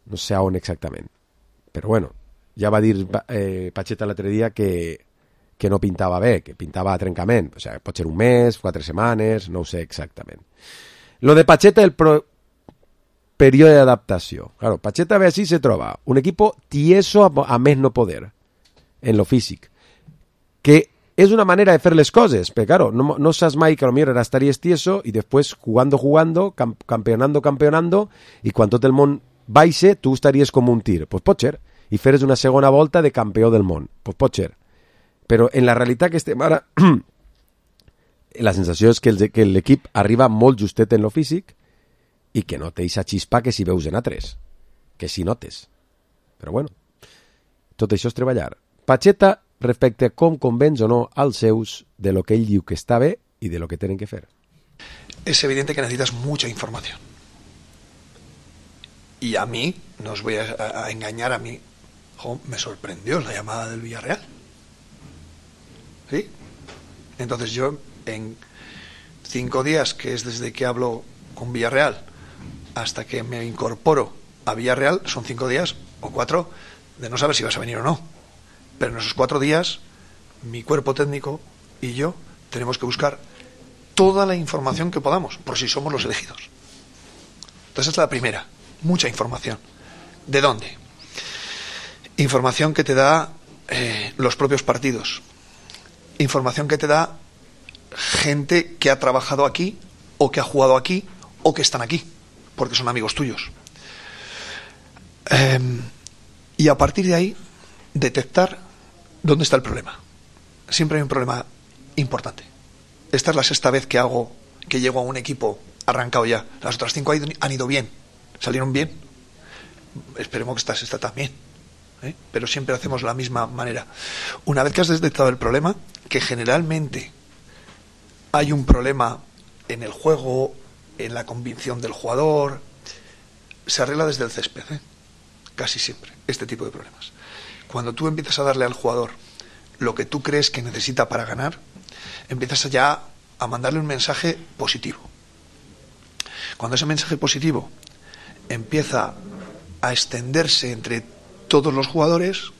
no sé on exactament. Però bueno, ja va dir eh, Pacheta l'altre dia que, que no pintava bé, que pintava a trencament. O sigui, pot ser un mes, quatre setmanes, no ho sé exactament. Lo de Pacheta, el pro... període d'adaptació. Claro, Pacheta ve així se troba un equipo tieso a, a més no poder en lo físic, que és una manera de fer les coses, però claro, no, no saps mai que a lo millor ara estaries tieso i després jugando, jugando, cam, campeonando, campeonando, i quan tot el món baixe, tu estaries com un tir. Pues pot ser. I feres una segona volta de campió del món. Pues pot ser. Però en la realitat que estem ara, la sensació és que, el, que l'equip arriba molt justet en lo físic i que no té aquesta xispa que si veus en a tres. Que si notes. Però bueno, tot això és treballar. Pacheta respecte a com convenç o no als seus de lo que ell diu que està bé y de lo que tienen que hacer. Es evidente que necesitas mucha información. Y a mí, no os voy a, a engañar, a mí jo, me sorprendió la llamada del Villarreal. ¿Sí? Entonces yo, en cinco días, que es desde que hablo con Villarreal hasta que me incorporo a Villarreal, son cinco días o cuatro de no saber si vas a venir o no. Pero en esos cuatro días, mi cuerpo técnico y yo tenemos que buscar toda la información que podamos, por si somos los elegidos. Entonces, esta es la primera. Mucha información. ¿De dónde? Información que te da eh, los propios partidos. Información que te da gente que ha trabajado aquí, o que ha jugado aquí, o que están aquí, porque son amigos tuyos. Eh, y a partir de ahí, detectar dónde está el problema. Siempre hay un problema importante. Esta es la sexta vez que hago, que llego a un equipo arrancado ya. Las otras cinco han ido bien, salieron bien. Esperemos que esta sexta también, ¿eh? Pero siempre hacemos la misma manera. Una vez que has detectado el problema, que generalmente hay un problema en el juego, en la convicción del jugador, se arregla desde el césped, ¿eh? Casi siempre, este tipo de problemas. Cuando tú empiezas a darle al jugador lo que tú crees que necesita para ganar, empiezas ya a mandarle un mensaje positivo. Cuando ese mensaje positivo empieza a extenderse entre todos los jugadores,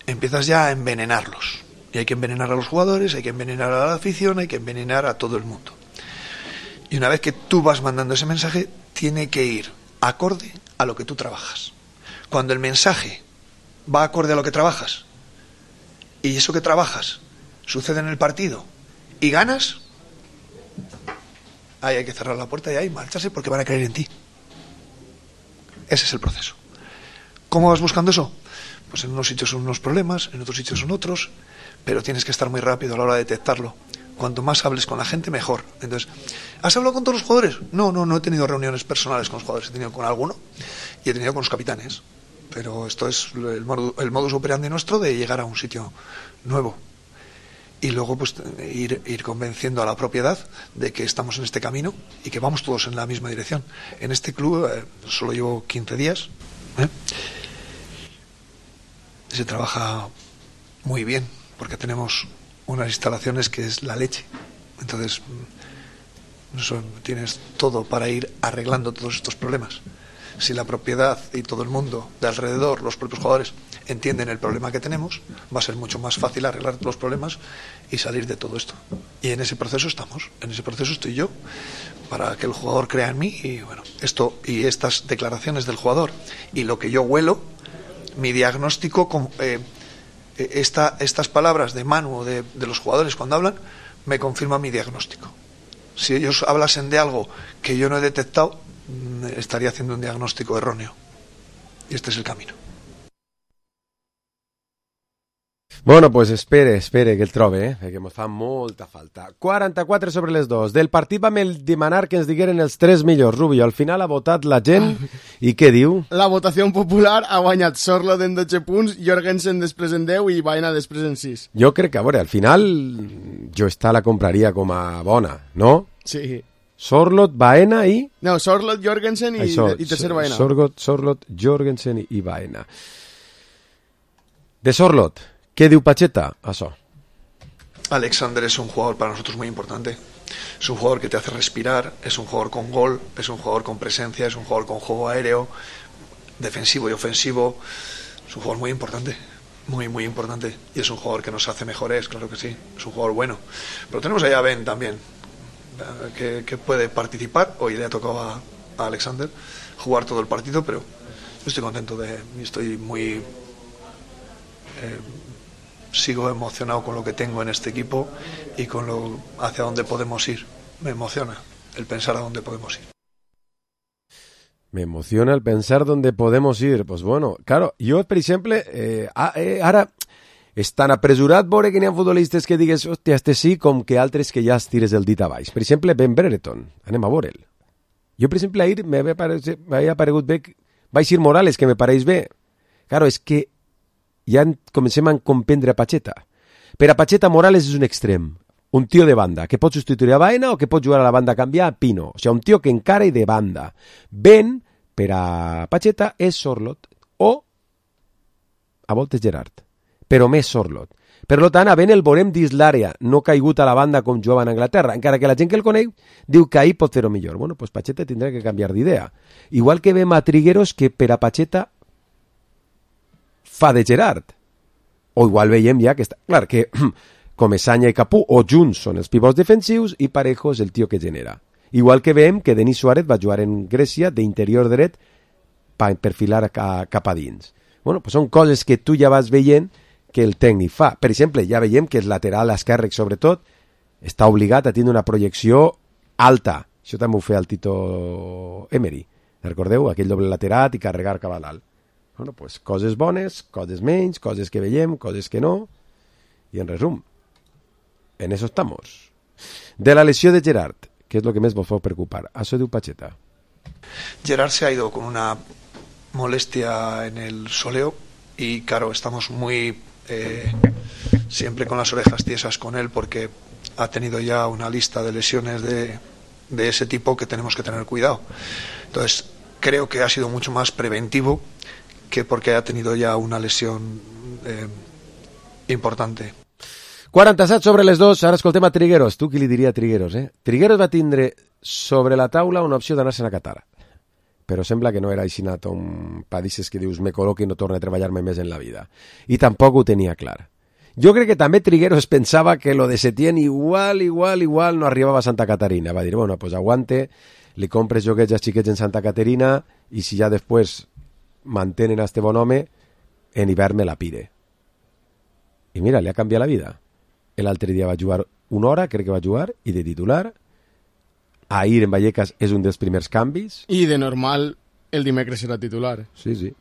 empiezas ya a envenenarlos. Y hay que envenenar a los jugadores, hay que envenenar a la afición, hay que envenenar a todo el mundo. Y una vez que tú vas mandando ese mensaje, tiene que ir acorde a lo que tú trabajas. Cuando el mensaje va acorde a lo que trabajas, y eso que trabajas sucede en el partido, y ganas, ahí hay que cerrar la puerta y ahí marcharse porque van a creer en ti. Ese es el proceso. ¿Cómo vas buscando eso? Pues en unos sitios son unos problemas, en otros sitios son otros, pero tienes que estar muy rápido a la hora de detectarlo, Cuanto más hables con la gente, mejor. Entonces, ¿has hablado con todos los jugadores? No, no, no he tenido reuniones personales con los jugadores. He tenido con alguno y he tenido con los capitanes. Pero esto es el, modu, el modus operandi nuestro de llegar a un sitio nuevo. Y luego pues ir, ir convenciendo a la propiedad de que estamos en este camino y que vamos todos en la misma dirección. En este club eh, solo llevo quince días. ¿eh? Se trabaja muy bien porque tenemos unas instalaciones que es la leche. Entonces eso, tienes todo para ir arreglando todos estos problemas. Si la propiedad y todo el mundo de alrededor, los propios jugadores, entienden el problema que tenemos, va a ser mucho más fácil arreglar los problemas y salir de todo esto. Y en ese proceso estamos, en ese proceso estoy yo, para que el jugador crea en mí. Y bueno, esto y estas declaraciones del jugador y lo que yo huelo, mi diagnóstico, con, eh, esta, estas palabras de Manu, de, de los jugadores cuando hablan, me confirman mi diagnóstico. Si ellos hablasen de algo que yo no he detectado, estaría haciendo un diagnóstico erróneo. Y este es el camino. Bueno, pues espere, espere que el trobe, eh? que ens fa molta falta. quaranta-quatre sobre les dos. Del partit vam demanar que ens digueren els tres millors. Rubio, al final ha votat la gent i què diu? La votació popular ha guanyat Sorloth en dotze punts, Jorgensen després en deu i Baena després en sis. Jo crec que, a veure, al final jo esta la compraria com a bona, no? Sí. Sorloth, Baena i... No, Sorloth, Jorgensen i, Això, i tercer Baena. Sorloth, Sorloth, Jorgensen i, i Baena. De Sorloth, ¿qué diu Pacheta? Eso. Alexander es un jugador para nosotros muy importante. Es un jugador que te hace respirar, es un jugador con gol, es un jugador con presencia, es un jugador con juego aéreo, defensivo y ofensivo. Es un jugador muy importante, muy, muy importante. Y es un jugador que nos hace mejores, claro que sí. Es un jugador bueno. Pero tenemos allá a Ben también, que, que puede participar. Hoy le ha tocado a, a Alexander jugar todo el partido, pero yo estoy contento de... Estoy muy... Eh, sigo emocionado con lo que tengo en este equipo y con lo hacia dónde podemos ir. Me emociona el pensar a dónde podemos ir. Me emociona el pensar dónde podemos ir. Pues bueno, claro, jo, per exemple, eh, eh, ara és tan apresurat veure que n'hi ha futbolistes que digues, hòstia, este sí, com que altres que ja es tires el dit a baix. Per exemple, Ben Brereton, anem a veure'l. Jo, per exemple, ahir m'havia aparegut bé Baixir Morales, que me pareix bé. Claro, és que ja comencem a comprendre a Pacheta. Per a Pacheta, Morales és un extrem, un tio de banda, que pot substituir a Baena o que pot jugar a la banda a canviar a Pino. O sigui, un tio que encara i de banda. Ben, per a Pacheta, és Sorloth o a voltes Gerard, però més Sorloth. Per tant, a Ben el veurem dins l'àrea, no caigut a la banda com jugava en Anglaterra, encara que la gent que el coneix diu que ahir pot fer-ho millor. Bueno, pues Pacheta tindrà que canviar d'idea. Igual que ve Trigueros, que per a Pacheta fa de Gerard. O igual veiem ja que està... Clar, que Comesaña i Capú o junts són els pivots defensius i Parejo és el tio que genera. Igual que veiem que Denis Suárez va jugar en Grècia d'interior dret per perfilar cap a dins. Bueno, pues són coses que tu ja vas veient que el tècnic fa. Per exemple, ja veiem que el lateral esquerre, sobretot, està obligat a tindre una projecció alta. Això també ho feia el Tito Emery. Recordeu? Aquell doble lateral i carregar cap a dalt. Bueno, pues coses bones, coses menys, coses que veiem, coses que no. Y en resum, en eso estamos. De la lesión de Gerard, ¿qué es lo que más vos puede preocupar? Això diu Pacheta. Gerard se ha ido con una molestia en el soleo y claro, estamos muy eh, siempre con las orejas tiesas con él porque ha tenido ya una lista de lesiones de, de ese tipo que tenemos que tener cuidado. Entonces, creo que ha sido mucho más preventivo que porque ha tenido ya una lesión eh, importante. quaranta-set sobre les dos, ara escoltem a Trigueros. Tu qui li diria a Trigueros, eh? Trigueros va tindre sobre la taula una opció d'anar-se'n a Qatar, però sembla que no era així un padisses que dius me col·loqui i no torna a treballar-me més en la vida. I tampoc ho tenia clar. Jo crec que també Trigueros pensava que lo de Setién igual, igual, igual no arribava a Santa Caterina. Va dir, bueno, pues aguante, li compres joguets als xiquets en Santa Caterina i si ja després mantenen a este bon home, en hivern me la pire. I mira, li ha canviat la vida. L'altre dia va jugar una hora, crec que va jugar, i de titular. Ahir en Vallecas és un dels primers canvis. I de normal el dimecres serà titular. Sí, sí.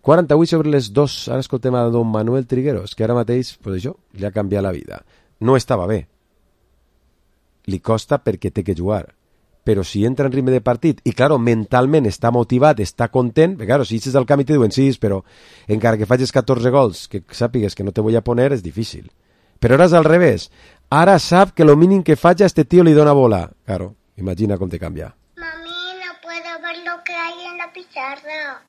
quaranta-vuit sobre les dos, ara escoltem a don Manuel Trigueros, que ara mateix, pues això, li ha canviat la vida. No estava bé. li costa perquè té que jugar. Però si entra en ritme de partit i, claro, mentalment està motivat, està content, perquè, claro, si eixes del camp i te diuen sí, però encara que facis catorze gols, que sàpigues que no te voy a poner, és difícil. Però ara és al revés. Ara sap que lo mínim que faig a este tío li dona bola. Claro, imagina com te canvia. Mami, no puedo ver lo que hay en la pizarra.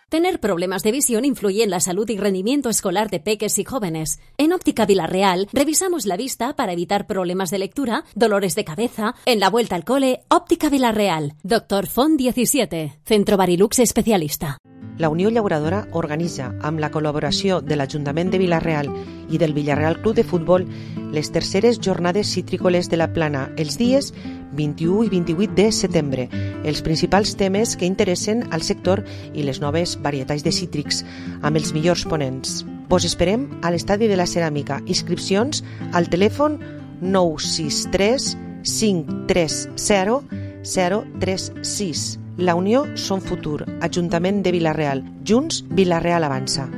Tener problemas de visión influye en la salud y rendimiento escolar de peques y jóvenes. En Óptica Villarreal revisamos la vista para evitar problemas de lectura, dolores de cabeza. En la vuelta al cole, Óptica Villarreal. Doctor Font diecisiete, Centro Barilux especialista. La Unió Llauradora organitza, amb la col·laboració de l'Ajuntament de Vila-real i del Villarreal Club de Futbol, les terceres jornades citrícoles de la Plana, els dies vint-i-u i vint-i-vuit de setembre. Els principals temes que interessen al sector i les noves varietats de cítrics, amb els millors ponents. Vos esperem a l'Estadi de la Ceràmica. Inscripcions al telèfon nou sis tres cinc tres zero zero tres sis. La Unió som futur. Ajuntament de Vila-real. Junts, Vila-real avança.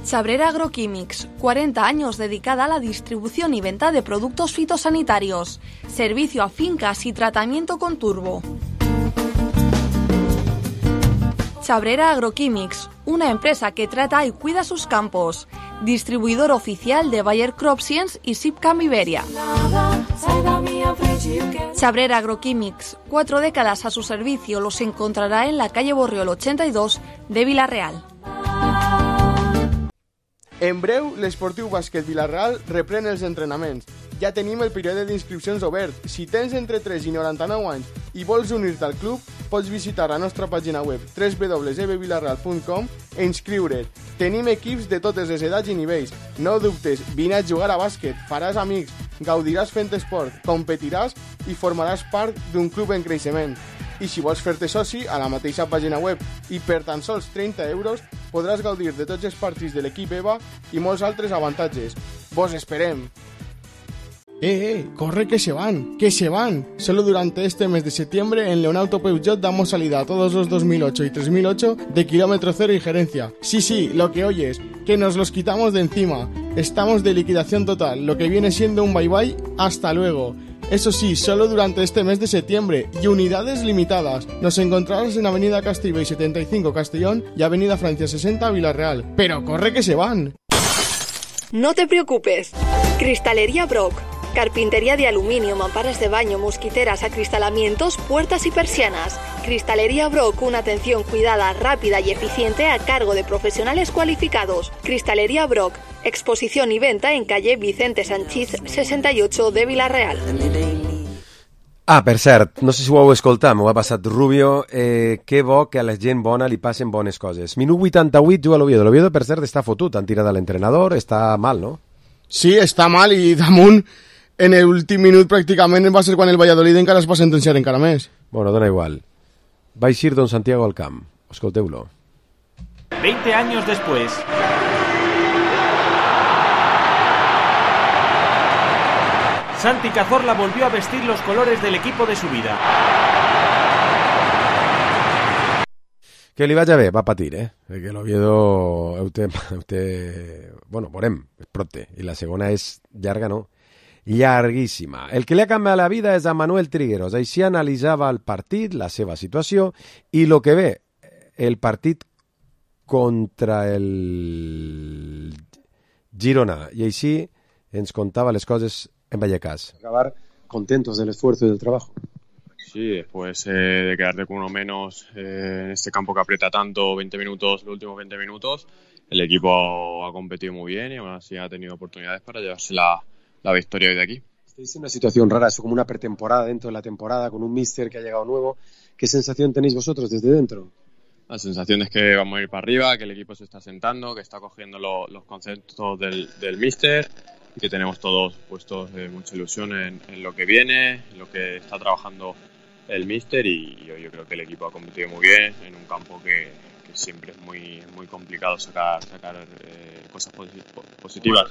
Chabrera Agroquímics, cuarenta años dedicada a la distribución y venta de productos fitosanitarios. Servicio a fincas y tratamiento con turbo. Chabrera Agroquímics, una empresa que trata y cuida sus campos. Distribuidor oficial de Bayer Crop Science y Sipcam Iberia. Chabrera Agroquímics, cuatro décadas a su servicio, los encontrará en la calle Borriol ochenta y dos de Vila-real. En breu, l'Esportiu Bàsquet Vila-real reprèn els entrenaments. Ja tenim el període d'inscripcions obert. Si tens entre tres i noranta-nou anys i vols unir-te al club, pots visitar la nostra pàgina web w w w punt e b villarreal punt com e inscriure't. Tenim equips de totes les edats i nivells. No dubtes, vine a jugar a bàsquet, faràs amics, gaudiràs fent esport, competiràs i formaràs part d'un club en creixement. I si vols fer-te soci, a la mateixa pàgina web i per tan sols trenta euros podràs gaudir de tots els partits de l'equip EVA i molts altres avantatges. Vos esperem! Eh, eh, corre que se van, que se van. Solo durante este mes de septiembre en Leonauto Peugeot damos salida a todos los dos mil ocho y tres mil ocho de kilómetro cero y gerencia. Sí, sí, lo que oyes, que nos los quitamos de encima. Estamos de liquidación total, lo que viene siendo un bye bye, hasta luego. Eso sí, solo durante este mes de septiembre y unidades limitadas. Nos encontrarás en Avenida Castibey setenta y cinco Castellón y Avenida Francia sesenta Vila-real. Pero corre que se van. No te preocupes. Cristalería Brock. Carpintería de aluminio, mamparas de baño, mosquiteras, acristalamientos, puertas y persianas. Cristalería Brock, una atención cuidada, rápida y eficiente a cargo de profesionales cualificados. Cristalería Brock, exposición y venta en calle Vicente Sanchís sesenta y ocho de Vila-real. Ah, per cert, no sé si ho heu escoltat, m'ho ha passat Rubio, eh, que bo que a la gent bona li passen bones coses. Minut vuitanta-vuit juga l'Oviedo. L'Oviedo, per cert, està fotut, han tirat a l'entrenador, està mal, no? Sí, està mal i damunt en l'últim minut pràcticament va ser quan el Valladolid encara es va sentenciar encara més. Bueno, dona igual. Va eixir Don Santiago al camp. Escolteu-lo. veinte años después. Santi Cazorla volvió a vestir los colores del equipo de su vida. Que li vaig a bé, va patir, eh? Perquè l'Oviedo... Heu te, heu te... Bueno, veurem, és prompte. I la segona és llarga, no? Llarguíssima. El que li ha canviat la vida és a Manuel Trigueros. Així analitzava el partit, la seva situació, i el que ve, el partit contra el Girona. I així ens contava les coses en Vallecas. Acabar contentos del esfuerzo y del trabajo. Sí, después eh, de quedarte con uno menos eh, en este campo que aprieta tanto, veinte minutos, los últimos veinte minutos, el equipo ha competido muy bien y aún así ha tenido oportunidades para llevarse la, la victoria hoy de aquí. Estáis en una situación rara, es como una pretemporada dentro de la temporada, con un míster que ha llegado nuevo. ¿Qué sensación tenéis vosotros desde dentro? La sensación es que vamos a ir para arriba, que el equipo se está sentando, que está cogiendo lo, los conceptos del, del míster y que tenemos todos puestos eh, mucha ilusión en, en lo que viene, en lo que está trabajando el míster y, y yo creo que el equipo ha competido muy bien en un campo que, que siempre es muy muy complicado sacar sacar eh, cosas positivas.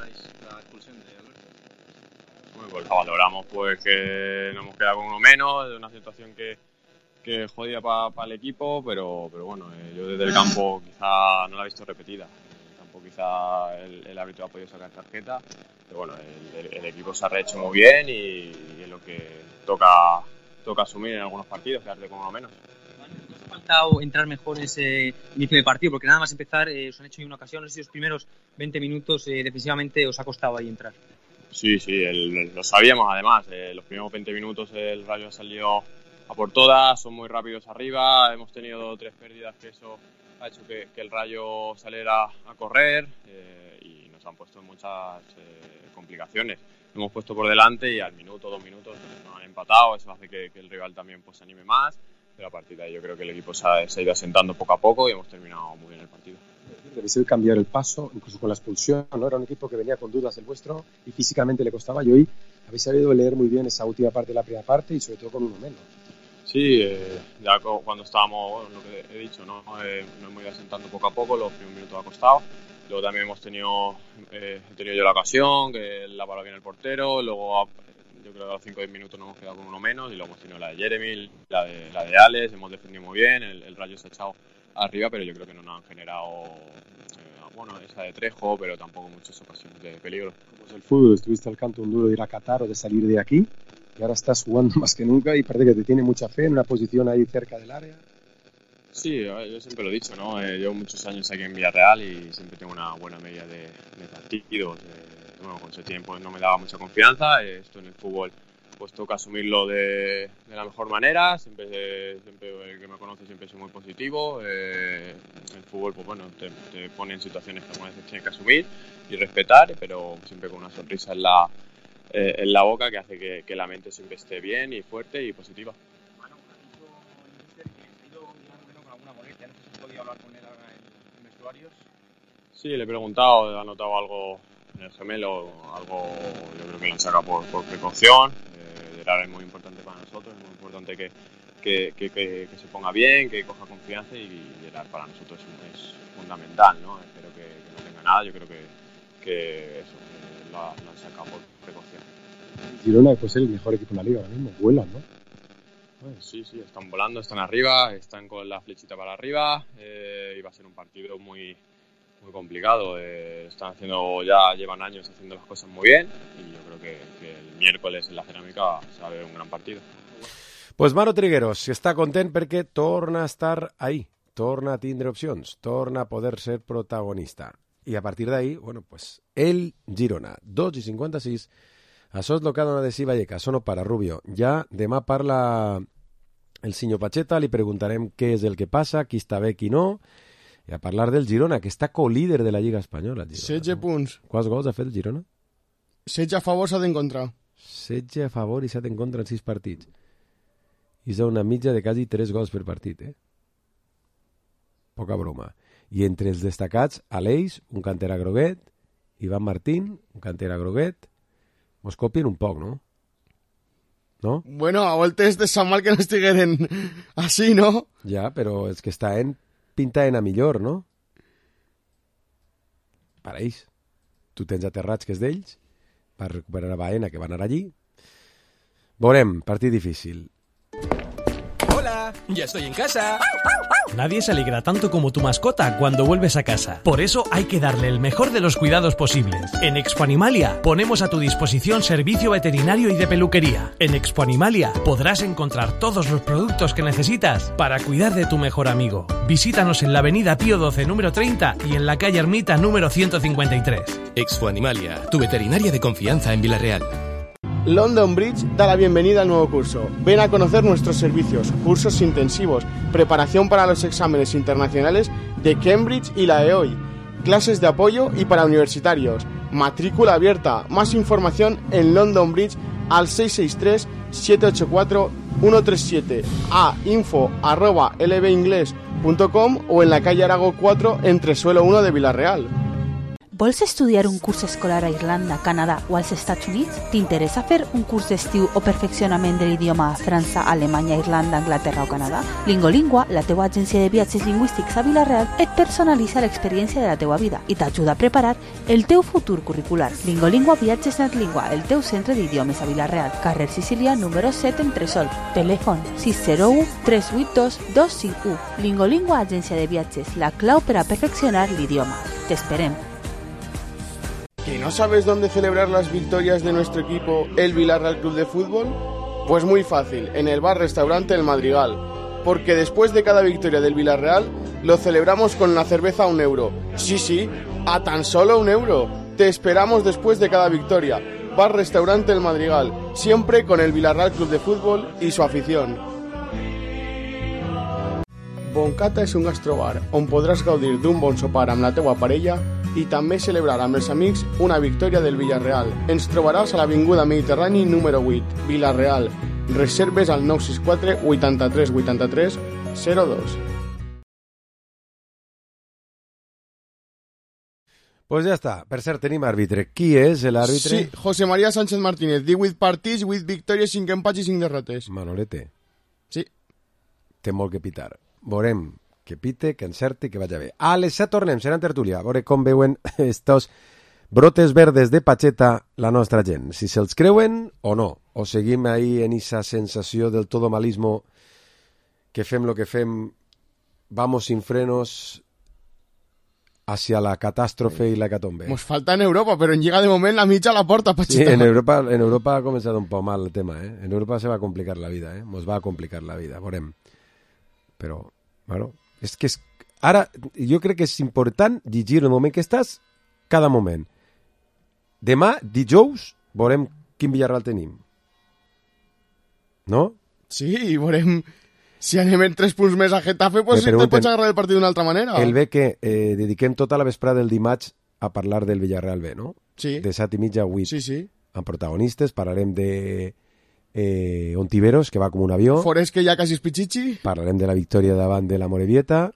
Bueno, pues la valoramos pues que nos hemos quedado con uno menos, de una situación que que jodida para pa el equipo, pero pero bueno, eh, yo desde el campo quizá no la he visto repetida. o quizá el, el árbitro ha podido sacar tarjeta, pero bueno, el, el, el equipo se ha rehecho muy bien y, y es lo que toca, toca asumir en algunos partidos, quedarte con uno menos. ¿Os ha faltado entrar mejor en ese inicio de partido? Porque nada más empezar, eh, os han hecho una ocasión, no sé si los primeros veinte minutos eh, defensivamente os ha costado ahí entrar. Sí, sí, el, lo sabíamos además, eh, los primeros veinte minutos el Rayo ha salido a por todas, son muy rápidos arriba, hemos tenido tres pérdidas que eso ha hecho que, que el Rayo saliera a correr eh, y nos han puesto en muchas eh, complicaciones. Nos hemos puesto por delante y al minuto, dos minutos nos han empatado, eso hace que, que el rival también pues, se anime más, pero a partir de ahí yo creo que el equipo se ha, se ha ido asentando poco a poco y hemos terminado muy bien el partido. Debéis cambiar el paso, incluso con la expulsión, ¿no? Era un equipo que venía con dudas el vuestro y físicamente le costaba, y hoy habéis sabido leer muy bien esa última parte de la primera parte y sobre todo con uno menos. Sí, eh, ya cuando estábamos, bueno, lo que he dicho, ¿no? Eh, nos hemos ido asentando poco a poco, los primeros minutos ha costado. Luego también hemos tenido, eh, he tenido yo la ocasión, que la paró bien el portero, luego yo creo que a los cinco o diez minutos nos hemos quedado con uno menos y luego hemos tenido la de Jeremy, la de, la de Alex, hemos defendido muy bien, el, el Rayo se ha echado arriba, pero yo creo que no nos han generado, eh, bueno, esa de Trejo, pero tampoco muchas ocasiones de peligro. Como es el fútbol, estuviste al canto un duro de ir a Qatar o de salir de aquí, y ahora estás jugando más que nunca y parece que te tiene mucha fe en una posición ahí cerca del área. Sí, yo siempre lo he dicho, ¿no? Eh, llevo muchos años aquí en Villarreal y siempre tengo una buena media de, de partidos. Eh, bueno, con ese tiempo no me daba mucha confianza. Eh, esto en el fútbol pues toca asumirlo de, de la mejor manera. Siempre, eh, siempre el que me conoce siempre soy muy positivo. Eh, el fútbol, pues bueno, te, te pone en situaciones que algunas veces tienes que asumir y respetar, pero siempre con una sonrisa en la, eh, en la boca que hace que, que la mente siempre esté bien y fuerte y positiva. Sí, le he preguntado, ha notado algo en el gemelo, algo yo creo que lo han sacado por, por precaución. Eh, Gerard es muy importante para nosotros, es muy importante que, que, que, que, que se ponga bien, que coja confianza y Gerard para nosotros es, es fundamental, ¿no? Espero que, que no tenga nada, yo creo que, que eso, que lo, lo han sacado por precaución. Girona puede ser el mejor equipo en la liga ahora mismo, vuelan, ¿no? Pues sí, sí, están volando, están arriba, están con la flechita para arriba eh, y va a ser un partido muy... muy complicado, eh, están haciendo, ya llevan años haciendo las cosas muy bien y yo creo que, que el miércoles en la Cerámica se va a ver un gran partido. Pues Manu Trigueros està content perquè torna a estar ahí, torna a tindre opcions, torna a poder ser protagonista. I a partir d'ahí, bueno, pues el Girona, dos i cinquanta-sis, això és el que ha donat de si Vallecas, sono para Rubio. Ja demà parla el senyor Pacheta, li preguntarem què és el que passa, qui està bé, qui no, i a parlar del Girona, que està co-líder de la Lliga Espanyola. setze punts. Quants gols ha fet el Girona? setze a favor, set en contra. setze a favor i set en contra en sis partits. I és una mitja de quasi tres gols per partit, eh? Poca broma. I entre els destacats, Aleix, un cantera groguet, Ivan Martín, un cantera groguet. Mos copien un poc, no? No? Bueno, a voltes de Sant Mal que no estigueren així, no? Ja, però és que està en pinta en a millor, no? Per ells. Tu tens aterrats que és d'ells, per recuperar a Baena, que va anar allí. Veurem, partit difícil. Hola, ya estoy en casa. Nadie se alegra tanto como tu mascota cuando vuelves a casa. Por eso hay que darle el mejor de los cuidados posibles. En Expo Animalia ponemos a tu disposición servicio veterinario y de peluquería. En Expo Animalia podrás encontrar todos los productos que necesitas para cuidar de tu mejor amigo. Visítanos en la avenida Pío doce número treinta y en la calle Ermita número ciento cincuenta y tres. Expo Animalia, tu veterinaria de confianza en Villarreal. London Bridge da la bienvenida al nuevo curso. Ven a conocer nuestros servicios, cursos intensivos, preparación para los exámenes internacionales de Cambridge y la E O I, clases de apoyo y para universitarios, matrícula abierta. Más información en London Bridge al seis seis tres, siete ocho cuatro, uno tres siete, a info arroba lbinglés punto com o en la calle Arago cuatro entre suelo uno de Villarreal. Vols estudiar un curs escolar a Irlanda, Canadà o als Estats Units? T'interessa fer un curs d'estiu o perfeccionament de l'idioma a França, Alemanya, Irlanda, Anglaterra o Canadà? Lingolingua, la teua agència de viatges lingüístics a Vila-real, et personalitza l'experiència de la teua vida i t'ajuda a preparar el teu futur curricular. Lingolingua Viatges Netlingua, el teu centre d'idiomes a Vila-real, carrer Sicília, número set, Entresol. Telèfon sis zero u tres vuit dos dos cinc u. Lingolingua, agència de viatges, la clau per a perfeccionar l'idioma. T'esperem. ¿Que no sabes dónde celebrar las victorias de nuestro equipo, el Villarreal Club de Fútbol? Pues muy fácil, en el bar-restaurante El Madrigal. Porque después de cada victoria del Villarreal, lo celebramos con una cerveza a un euro. Sí, sí, a tan solo un euro. Te esperamos después de cada victoria. Bar-restaurante El Madrigal, siempre con el Villarreal Club de Fútbol y su afición. Boncata és un gastrobar on podràs gaudir d'un bon sopar amb la teua parella i també celebrar amb els amics una victòria del Villarreal. Ens trobaràs a l'Avinguda Mediterrani número vuit, Vila-real. Reserves al nou sis quatre vuitanta-tres vuitanta-tres zero dos. Pues ja està. Per cert, tenim àrbitre. Qui és l'àrbitre? Sí, José María Sánchez Martínez. divuit partits, vuit victòries, cinc empats i cinc derrotes. Manolete. Sí. Té molt que pitar. Veurem que pite, que encerti, que vagi bé. A les set tornem, serà en tertúlia. A veure com veuen estos brotes verdes de Pacheta la nostra gent. Si se'ls creuen o no. O seguim ahí en esa sensació del todo malismo que fem lo que fem, vamos sin frenos hacia la catástrofe i la hecatombe. Nos falta en Europa, pero en Lliga de moment la mitja a la porta, Pacheta. Sí, en Europa, en Europa ha començat un poc mal el tema, eh? En Europa se va a complicar la vida, eh? Nos va a complicar la vida, veurem. Però, bueno, és que és... ara jo crec que és important llegir el moment que estàs cada moment. Demà, dijous, veurem quin Villarreal tenim. No? Sí, veurem... Si anem en tres punts més a Getafe, pues sí, te pots agarrar el partit d'una altra manera. El bé que eh, dediquem tota la vesprada del dimarts a parlar del Villarreal B, no? Sí. De set i mitja a vuit. Sí, sí. Amb protagonistes, parlarem de eh, Ontiveros, que va com un avió. Forés, que ja quasi és Pichichi. Parlarem de la victòria davant de la Morevieta.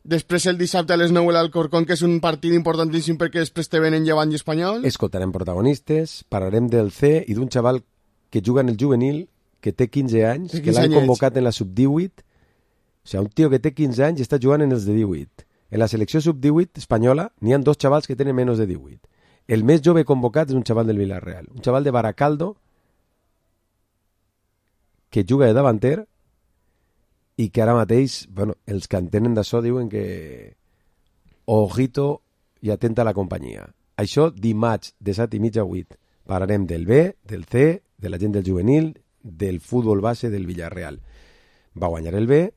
Després el dissabte a les nou l'Alcorcón, que és un partit importantíssim perquè després te venen Llevant i Espanyol. Escoltarem protagonistes, parlarem del C i d'un xaval que juga en el juvenil, que té quinze anys, que l'han convocat en la sub divuit. O sigui, un tio que té quinze anys i està jugant en els de divuit. En la selecció sub divuit espanyola n'hi ha dos xavals que tenen menys de divuit. El més jove convocat és un xaval del Villarreal, un xaval de Baracaldo que juga de davanter i que ara mateix, bueno, els que entenen d'això diuen que ojito i atenta a la companyia. Això dimarts de set i mitja a vuit. Parlarem del B, del C, de la gent del juvenil, del futbol base del Villarreal. Va guanyar el B,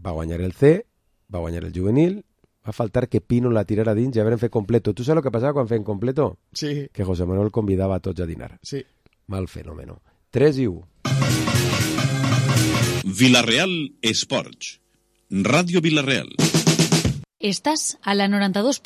va guanyar el C, va guanyar el juvenil, va faltar que Pino la tirara dins i haurem fet completo. Tu saps el que passava quan fem completo? Sí. Que José Manuel convidava a tots a dinar. Sí. Mal fenómeno. tres i u. Villarreal Esports. Radio Villarreal. Estás a la noranta dos